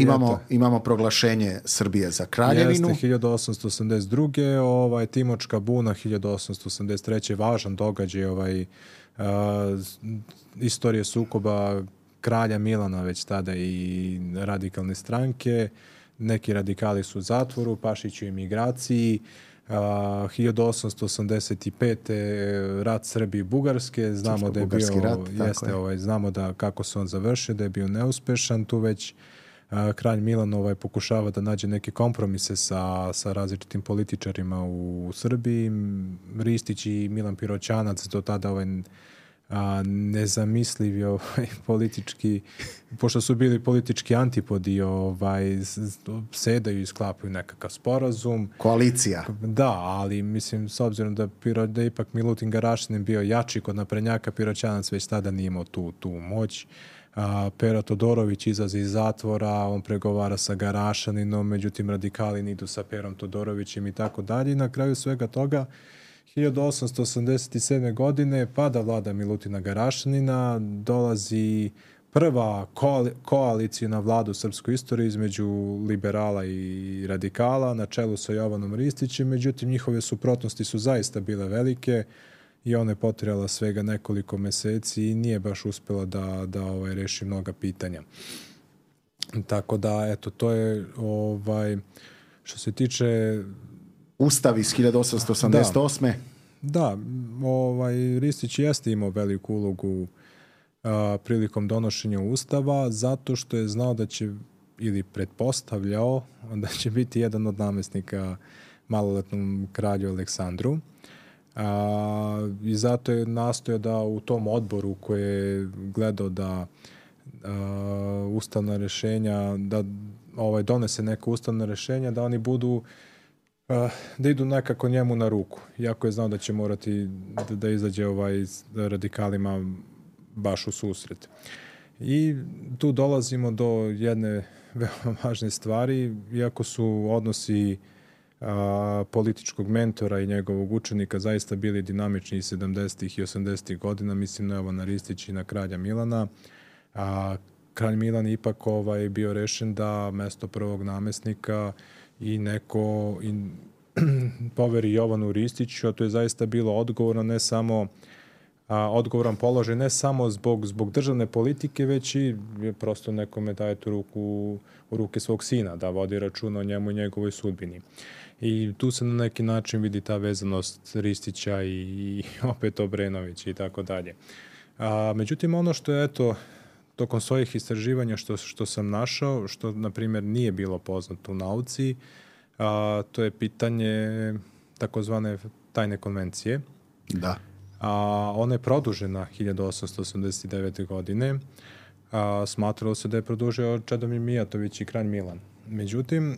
Imamo proglašenje Srbije za kraljevinu. Jeste, 1882. Timočka buna, 1883. važan događaj istorije sukoba kralja Milana već tada i radikalne stranke. Neki radikali su u zatvoru, Pašić u emigraciji. 1885. rat Srbije i Bugarske, znamo da je bio rat, znamo da kako se on završio, da je bio neuspešan. Tu već kralj Milan pokušava da nađe neke kompromise sa različitim političarima u Srbiji. Ristić i Milan Piroćanac do tada nezamislivi politički, pošto su bili politički antipodi, sedaju i sklapaju nekakav sporazum. Koalicija. Da, ali mislim, s obzirom da je ipak Milutin Garašanin bio jači kod naprednjaka, Piroćanac već tada nije imao tu moć. Pero Todorović izlazi iz zatvora, on pregovara sa Garašaninom, međutim radikali idu sa Perom Todorovićem i tako dalje. I na kraju svega toga 1887. godine pada vlada Milutina Garašanina, dolazi prva koalicijna vlada u srpskoj istoriji između liberala i radikala na čelu sa Jovanom Ristićem, međutim njihove suprotnosti su zaista bile velike i ona je potrajala svega nekoliko meseci i nije baš uspela da reši mnoga pitanja. Tako da, eto, to je što se tiče Ustav iz 1888. Da, Ristić jeste imao veliku ulogu prilikom donošenja Ustava, zato što je znao da će, ili pretpostavljao, da će biti jedan od namestnika maloletnom kralju Aleksandru. I zato je nastojao da u tom odboru koji je gledao da ustavna rešenja, da donese neka ustavna rešenja, da oni budu da idu nekako njemu na ruku. Iako je znao da će morati da izađe radikalima baš u susret. I tu dolazimo do jedne veoma važne stvari. Iako su odnosi političkog mentora i njegovog učenika zaista bili dinamični 70. i 80. godina, mislim na Jovana Ristića i na kralja Milana. Kralj Milan je ipak bio rešen da mesto prvog namestnika i neko poveri Jovanu Ristiću, a to je zaista bilo odgovoran položaj ne samo zbog državne politike, već i prosto nekome daje tu u ruke svog sina, da vodi računa o njemu i njegovoj sudbini. I tu se na neki način vidi ta vezanost Ristića i opet Obrenovića i tako dalje. Međutim, ono što je, tokom svojih istraživanja što sam našao, što, na primjer, nije bilo poznato u nauci, to je pitanje takozvane tajne konvencije. Da. Ona je produžena 1889. godine. Smatralo se da je produžio Čedomir Mijatović i kralj Milan. Međutim,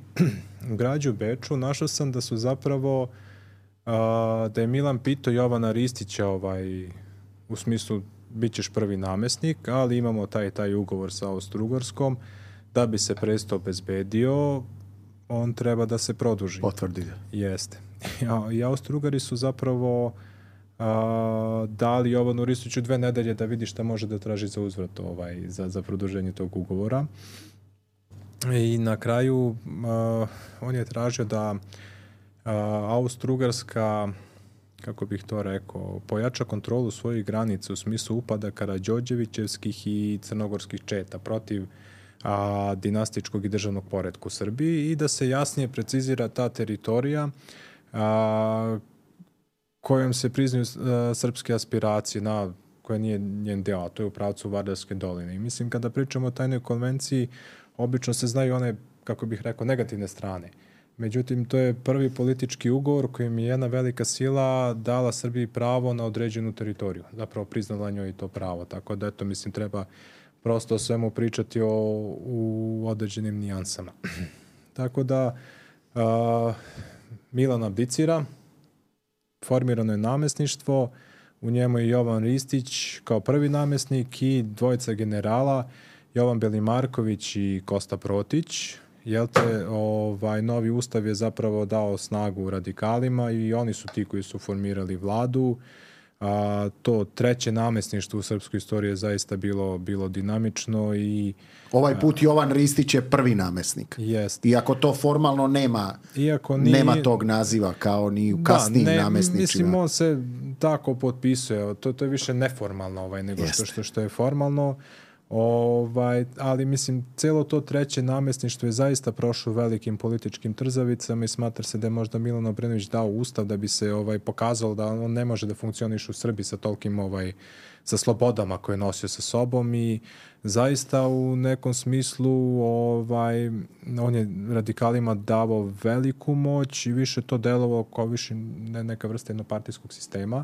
u građu Beču našao sam da su zapravo da je Milan pitao Jovana Ristića u smislu bit ćeš prvi namestnik, ali imamo taj ugovor sa Austro-Ugarskom, da bi se presto obezbedio, on treba da se produži. Potvrdi. Jeste. I Austro-Ugari su zapravo dali Jovanu Ristiću 2 nedelje da vidi šta može da traži za uzvrat za produženje tog ugovora. I na kraju on je tražio da Austro-Ugarska, kako bih to rekao, pojača kontrolu svojih granica u smislu upada Karađorđevićevskih i crnogorskih četa protiv dinastičkog i državnog poretka u Srbiji i da se jasnije precizira ta teritorija kojom se priznaju srpske aspiracije, koja nije njen deo, a to je u pravcu Vardarske doline. I mislim, kada pričamo o tajnoj konvenciji, obično se znaju one, kako bih rekao, negativne strane. Međutim, to je prvi politički ugovor kojim je jedna velika sila dala Srbiji pravo na određenu teritoriju. Zapravo priznala njoj to pravo. Tako da, mislim, treba prosto o svemu pričati u određenim nijansama. Tako da, Milan abdicira, formirano je namestništvo, u njemu je Jovan Ristić kao prvi namestnik i 2 generala, Jovan Belimarković i Kosta Protić. Novi ustav je zapravo dao snagu radikalima i oni su ti koji su formirali vladu. To 3. namestništvo u srpskoj istoriji je zaista bilo dinamično i ovaj put Jovan Ristić je prvi namestnik. Jest. Iako to formalno nema tog naziva kao ni u kasnijim namestničima. Mislim, on se tako potpisuje. To je više neformalno nego što je formalno. Ali mislim, celo to 3. namestništvo je zaista prošlo velikim političkim trzavicama i smatra se da je možda Milan Obrenović dao ustav da bi se pokazalo da on ne može da funkcioniše u Srbiji sa tolkim sa slobodama koje je nosio sa sobom i zaista u nekom smislu on je radikalima davao veliku moć i više to delovao kao više neka vrsta jednopartijskog sistema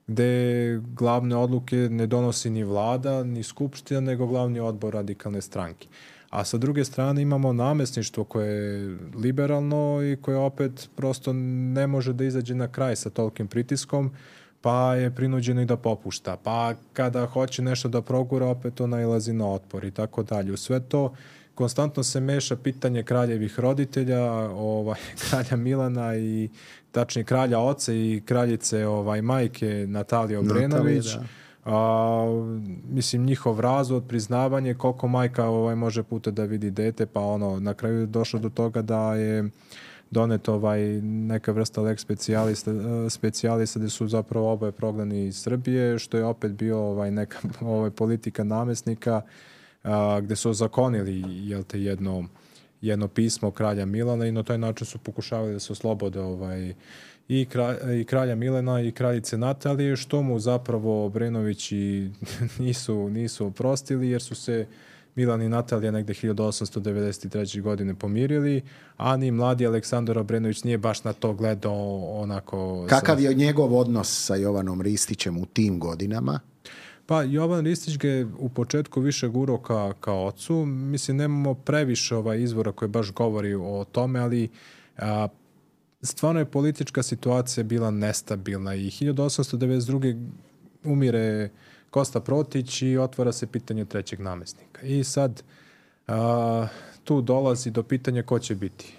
gde glavne odluke ne donosi ni vlada, ni skupština, nego glavni odbor radikalne stranke. A sa druge strane imamo namesništvo koje je liberalno i koje opet prosto ne može da izađe na kraj sa tolkim pritiskom, pa je prinuđeno i da popušta. Pa kada hoće nešto da progura, opet to nailazi na otpor i tako dalje. U sve to konstantno se meša pitanje kraljevih roditelja, kralja Milana i tačnije kralja oca i kraljice majke Natalije Obrenović. Mislim, njihov razvod, priznavanje, koliko majka može puta da vidi dete, pa na kraju je došlo do toga da je donet neka vrsta lex specijalista gde su zapravo oboje prognani iz Srbije, što je opet bio neka politika namesnika, gde su ozakonili jedno pismo kralja Milana i na taj način su pokušavali da se oslobode i kralja Milana i kraljice Natalije, što mu zapravo Obrenovići nisu oprostili, jer su se Milan i Natalija negde 1893. godine pomirili, a ni mladi Aleksandar Obrenović nije baš na to gledao onako... Kakav je njegov odnos sa Jovanom Ristićem u tim godinama? Pa Jovan Ristić ga je u početku više gurao ka ocu. Mislim, nemamo previše izvora koji baš govori o tome, ali stvarno je politička situacija bila nestabilna i 1892. umire Kosta Protić i otvara se pitanje trećeg namestnika. I sad tu dolazi do pitanja ko će biti.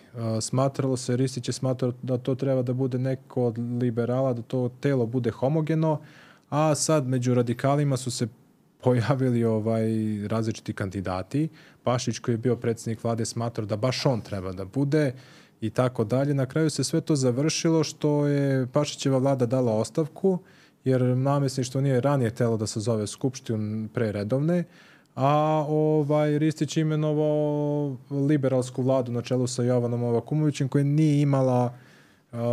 Ristić je smatrao da to treba da bude neko od liberala, da to telo bude homogeno, a sad među radikalima su se pojavili različiti kandidati. Pašić, koji je bio predsjednik vlade, smatrao da baš on treba da bude i tako dalje. Na kraju se sve to završilo što je Pašićeva vlada dala ostavku, jer namesništvo nije ranije telo da se zove skupštinu pre redovne, a Ristić imenovao liberalsku vladu na čelu sa Jovanom Novakomovićem, koja nije imala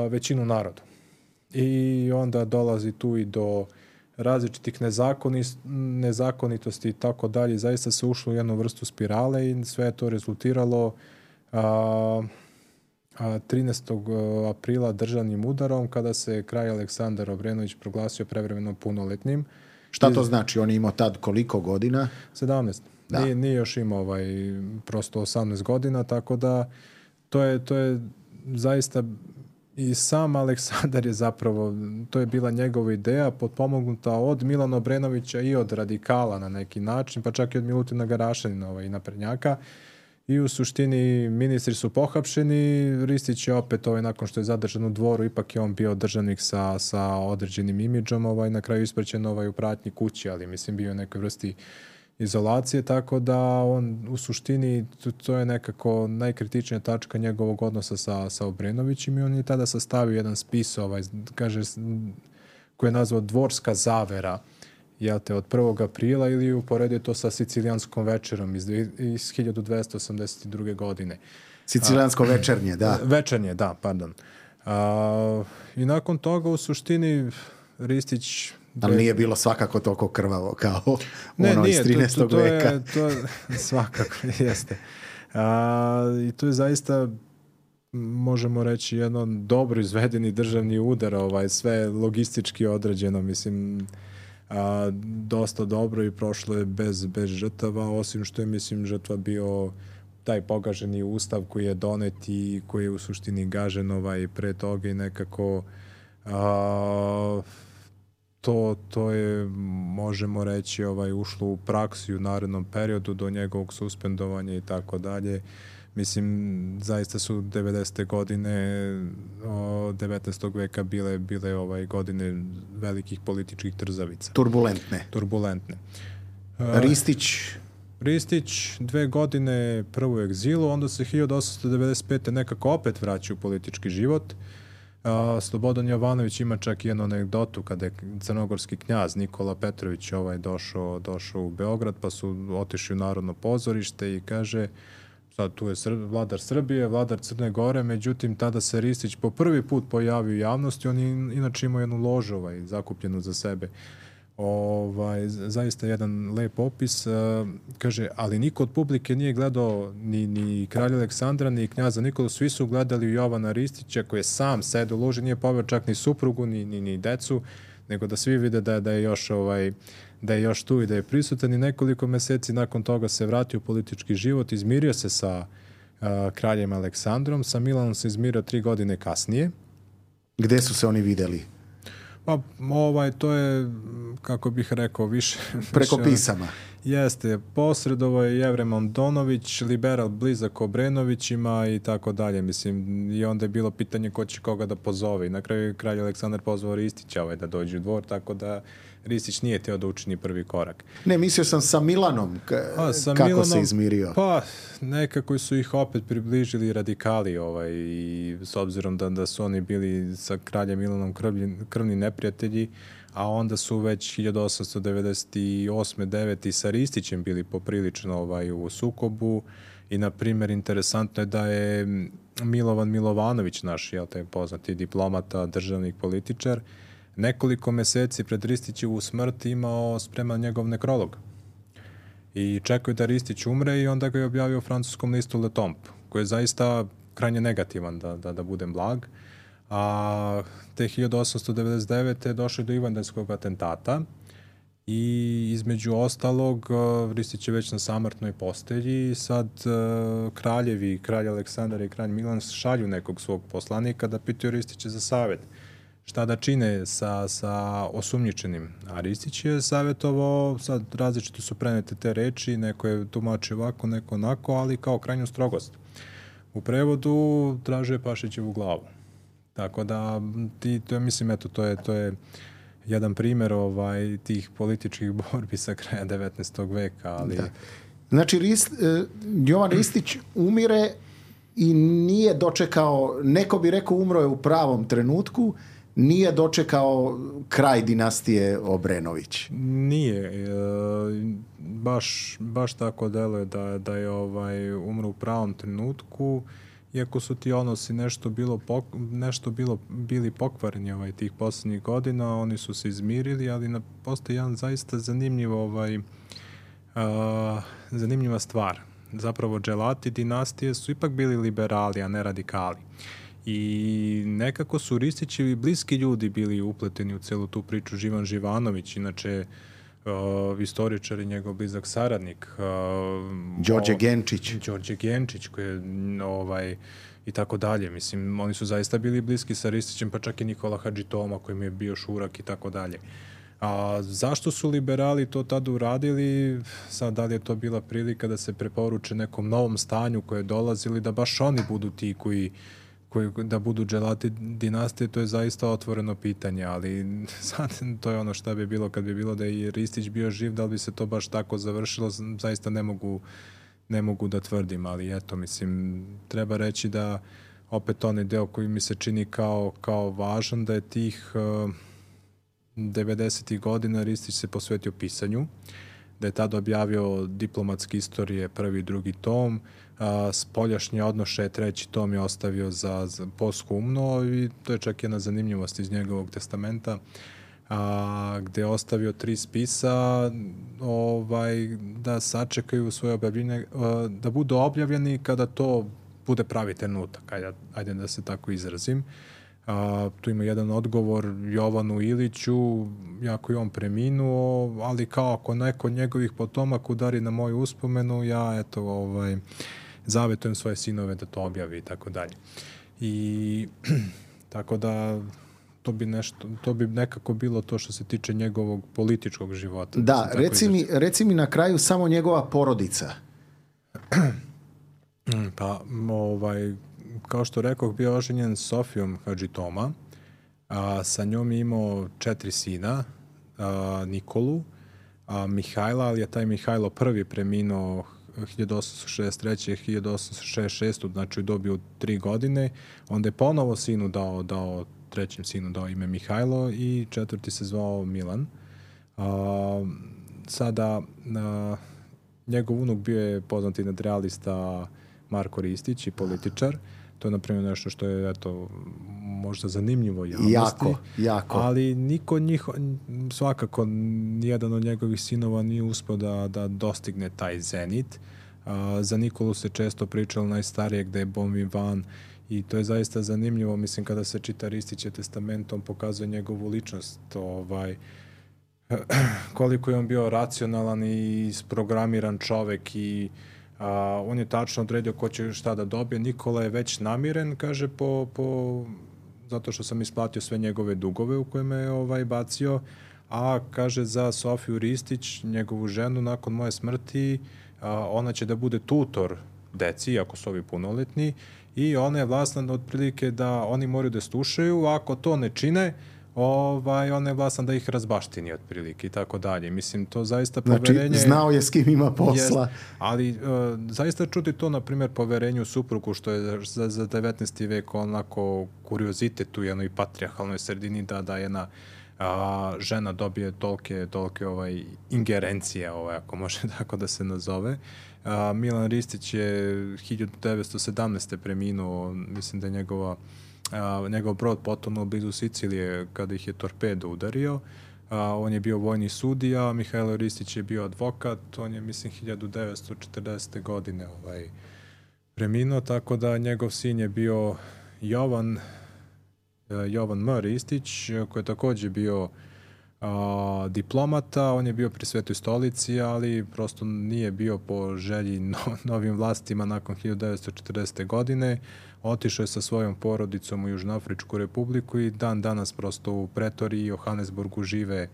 većinu naroda. I onda dolazi tu i do različitih nezakonitosti i tako dalje. Zaista se ušlo u jednu vrstu spirale i sve je to rezultiralo 13. aprila državnim udarom, kada se kralj Aleksandar Obrenović proglasio prevremeno punoletnim. Šta to znači? On je imao tad koliko godina? 17. Da. Nije još imao prosto 18 godina, tako da to je zaista i sam Aleksandar je zapravo, to je bila njegova ideja, potpomognuta od Milana Obrenovića i od radikala na neki način, pa čak i od Milutina Garašanina i naprednjaka. I u suštini ministri su pohapšeni, Ristić je opet nakon što je zadržan u dvoru, ipak je on bio državnik sa određenim imidžom, na kraju ispraćen u pratnji kući, ali mislim bio u nekoj vrsti izolacije, tako da on u suštini, to je nekako najkritičnija tačka njegovog odnosa sa Obrenovićem i on je tada sastavio jedan spis, kaže, koji je nazvao Dvorska zavera, od 1. aprila, ili uporedio to sa Sicilijanskom večerom iz 1282. godine. Sicilijansko večernje, da. Večernje, da, pardon. I nakon toga u suštini Ristić... Ali nije bilo svakako toliko krvavo kao ono iz 13. veka. To svakako jeste. I to je zaista, možemo reći, jedno dobro izvedeni državni udar, sve logistički određeno, mislim, dosta dobro i prošlo je bez žrtava, osim što je, mislim, žrtva bio taj pogaženi ustav koji je donet i koji je u suštini gažen pre toga i nekako to je, možemo reći, ušlo u praksu u narednom periodu do njegovog suspendovanja i tako dalje. Mislim, zaista su 90. godine 19. veka bile godine velikih političkih trzavica. Turbulentne. Ristić 2 godine prvo u egzilu, onda se 1895. nekako opet vraća u politički život. Slobodan Jovanović ima čak jednu anegdotu kada je crnogorski knjaz Nikola Petrović došao u Beograd, pa su otišli u Narodno pozorište i kaže, sad tu je vladar Srbije, vladar Crne Gore, međutim tada se Ristić po prvi put pojavio u javnosti, on je inače imao jednu ložu zakupljenu za sebe. Zaista jedan lep opis, kaže, ali niko od publike nije gledao ni kralja Aleksandra, ni knjaza Nikolu, svi su gledali Jovana Ristića koji je sam sedeo u loži, nije poveo čak ni suprugu, ni decu, nego da svi vide da je još tu i da je prisutan i nekoliko meseci nakon toga se vratio u politički život, izmirio se sa kraljem Aleksandrom, sa Milanom se izmirio 3 godine kasnije. Gde su se oni videli? Pa to je, kako bih rekao, više preko pisama. Jeste, posredovao je Jevrem Andonović, liberal blizak Obrenovićima i tako dalje. Mislim, i onda je bilo pitanje ko će koga da pozove. I na kraju je kralj Aleksandar pozvao Ristića da dođe u dvor, tako da Ristić nije teo da učini prvi korak. Ne, mislio sam sa Milanom, kako se izmirio. Pa, nekako su ih opet približili radikali i s obzirom da su oni bili sa kraljem Milanom krvni neprijatelji, a onda su već 1898. 9. sa Ristićem bili poprilično u sukobu i, na primjer, interesantno je da je Milovan Milovanović, naš taj poznati diplomata, državnik, političar, nekoliko meseci pred Ristićevu smrt imao spreman njegov nekrolog. I čekao je da Ristić umre i onda ga je objavio u francuskom listu Le Temps, koji je zaista krajnje negativan, da budem blag. A te 1899. je došlo do Ivandanskog atentata i između ostalog Ristić je već na samrtnoj postelji i sad kralj Aleksandar i kralj Milan šalju nekog svog poslanika da pitaju Ristića za savjet. Šta da čine sa osumnjičenim. A Ristić je savjetovao, sad različito su prenete te reči, neko je tumačio ovako, neko onako, ali kao krajnju strogost. U prevodu tražuje Pašićevu glavu. Tako da, mislim, to je jedan primjer tih političkih borbi sa kraja 19. veka. Ali... Da. Znači, Jovan Ristić umire i nije dočekao, neko bi rekao umro je u pravom trenutku, nije dočekao kraj dinastije Obrenović. Nije. Baš tako deluje da je umro u pravom trenutku, iako su ti odnosi nešto bili pokvareni tih posljednjih godina, oni su se izmirili, ali postoji jedan zaista zanimljiva stvar. Zapravo, dželati dinastije su ipak bili liberali, a ne radikali. I nekako su Ristićevi bliski ljudi bili upleteni u celu tu priču. Živan Živanović, inače istoričar i njegov blizak saradnik. Đorđe Genčić, koji je i tako dalje. Mislim, oni su zaista bili bliski sa Ristićem, pa čak i Nikola Hadžitoma, koji mi je bio šurak i tako dalje. A zašto su liberali to tada uradili? Sad, da li je to bila prilika da se preporuče nekom novom stanju koje je dolazili, da baš oni budu ti koji da budu dželati dinastije, to je zaista otvoreno pitanje, ali sad to je ono šta bi bilo kad bi bilo da je Ristić bio živ, da li bi se to baš tako završilo, zaista ne mogu da tvrdim, ali eto, mislim, treba reći da opet onaj deo koji mi se čini kao važan, da je tih 90. godina Ristić se posvetio pisanju, da je tada objavio Diplomatske istorije, 1. i 2. tom, Spoljašnje odnoše, 3. tom je ostavio za posthumno i to je čak jedna zanimljivost iz njegovog testamenta, gde je ostavio 3 spisa da sačekaju svoje objavljenje, da budu objavljeni kada to bude pravi trenutak, ajde da se tako izrazim. Tu ima jedan odgovor Jovanu Iliću, jako je on preminuo, ali kao ako neko od njegovih potomaka udari na moju uspomenu, ja zavetujem svoje sinove da to objavi i tako dalje. I tako da to bi nekako bilo to što se tiče njegovog političkog života. Da, reci mi na kraju samo njegova porodica. Pa, kao što rekoh, bio oženjen s Sofijom Hadžitoma, sa njom je imao 4 sina, Nikolu, Mihajla, ali je taj Mihajlo prvi preminuo 1863. 1866. znači dobio 3 godine, onda je ponovo sinu dao trećem sinu dao ime Mihajlo i 4. se zvao Milan. Sada njegov unuk bio je poznati nadrealista Marko Ristić i političar. To je, na primjer, nešto što je, možda zanimljivo javnosti. Jako. Ali niko od njih, svakako, nijedan od njegovih sinova nije uspio da dostigne taj zenit. Za Nikolu se često pričalo najstarijeg da je bon vivant I to je zaista zanimljivo, mislim, kada se čita Ristićev testament, on pokazuje njegovu ličnost, koliko je on bio racionalan i isprogramiran čovek i on je tačno odredio ko će šta da dobije. Nikola je već namiren, kaže, zato što sam isplatio sve njegove dugove u koje me je bacio, a kaže za Sofiju Ristić, njegovu ženu, nakon moje smrti, ona će da bude tutor deci, ako su ovi punoletni, i ona je vlasna otprilike da oni moraju da slušaju, ako to ne čine, ona je vlasna da ih razbaštini otprilike i tako dalje. Mislim, to zaista poverenje... Znači, znao je s kim ima posla. Ali zaista čuti to, na primjer, poverenju u suprugu, što je za 19. vek onako kuriozitet u jednoj patrijarhalnoj sredini, da jedna žena dobije tolke ingerencije, ako može tako da se nazove. Milan Ristić je 1917. preminuo, mislim da je njegov brod potonuo blizu Sicilije kada ih je torpedo udario. On je bio vojni sudija, Mihajlo Ristić je bio advokat, on je, mislim, 1940. godine preminuo, tako da njegov sin je bio Jovan M. Ristić, koji je također bio diplomata. On je bio pri Svetoj stolici, ali prosto nije bio po želji novim vlastima nakon 1940. godine. Otišao je sa svojom porodicom u Južnoafričku republiku i dan danas prosto u Pretoriji i Johannesburgu žive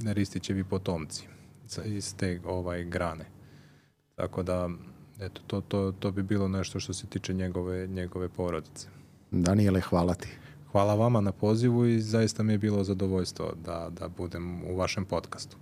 Ristićevi potomci iz te grane. Tako da, eto, to bi bilo nešto što se tiče njegove porodice. Danijele, hvala ti. Hvala vama na pozivu i zaista mi je bilo zadovoljstvo da budem u vašem podcastu.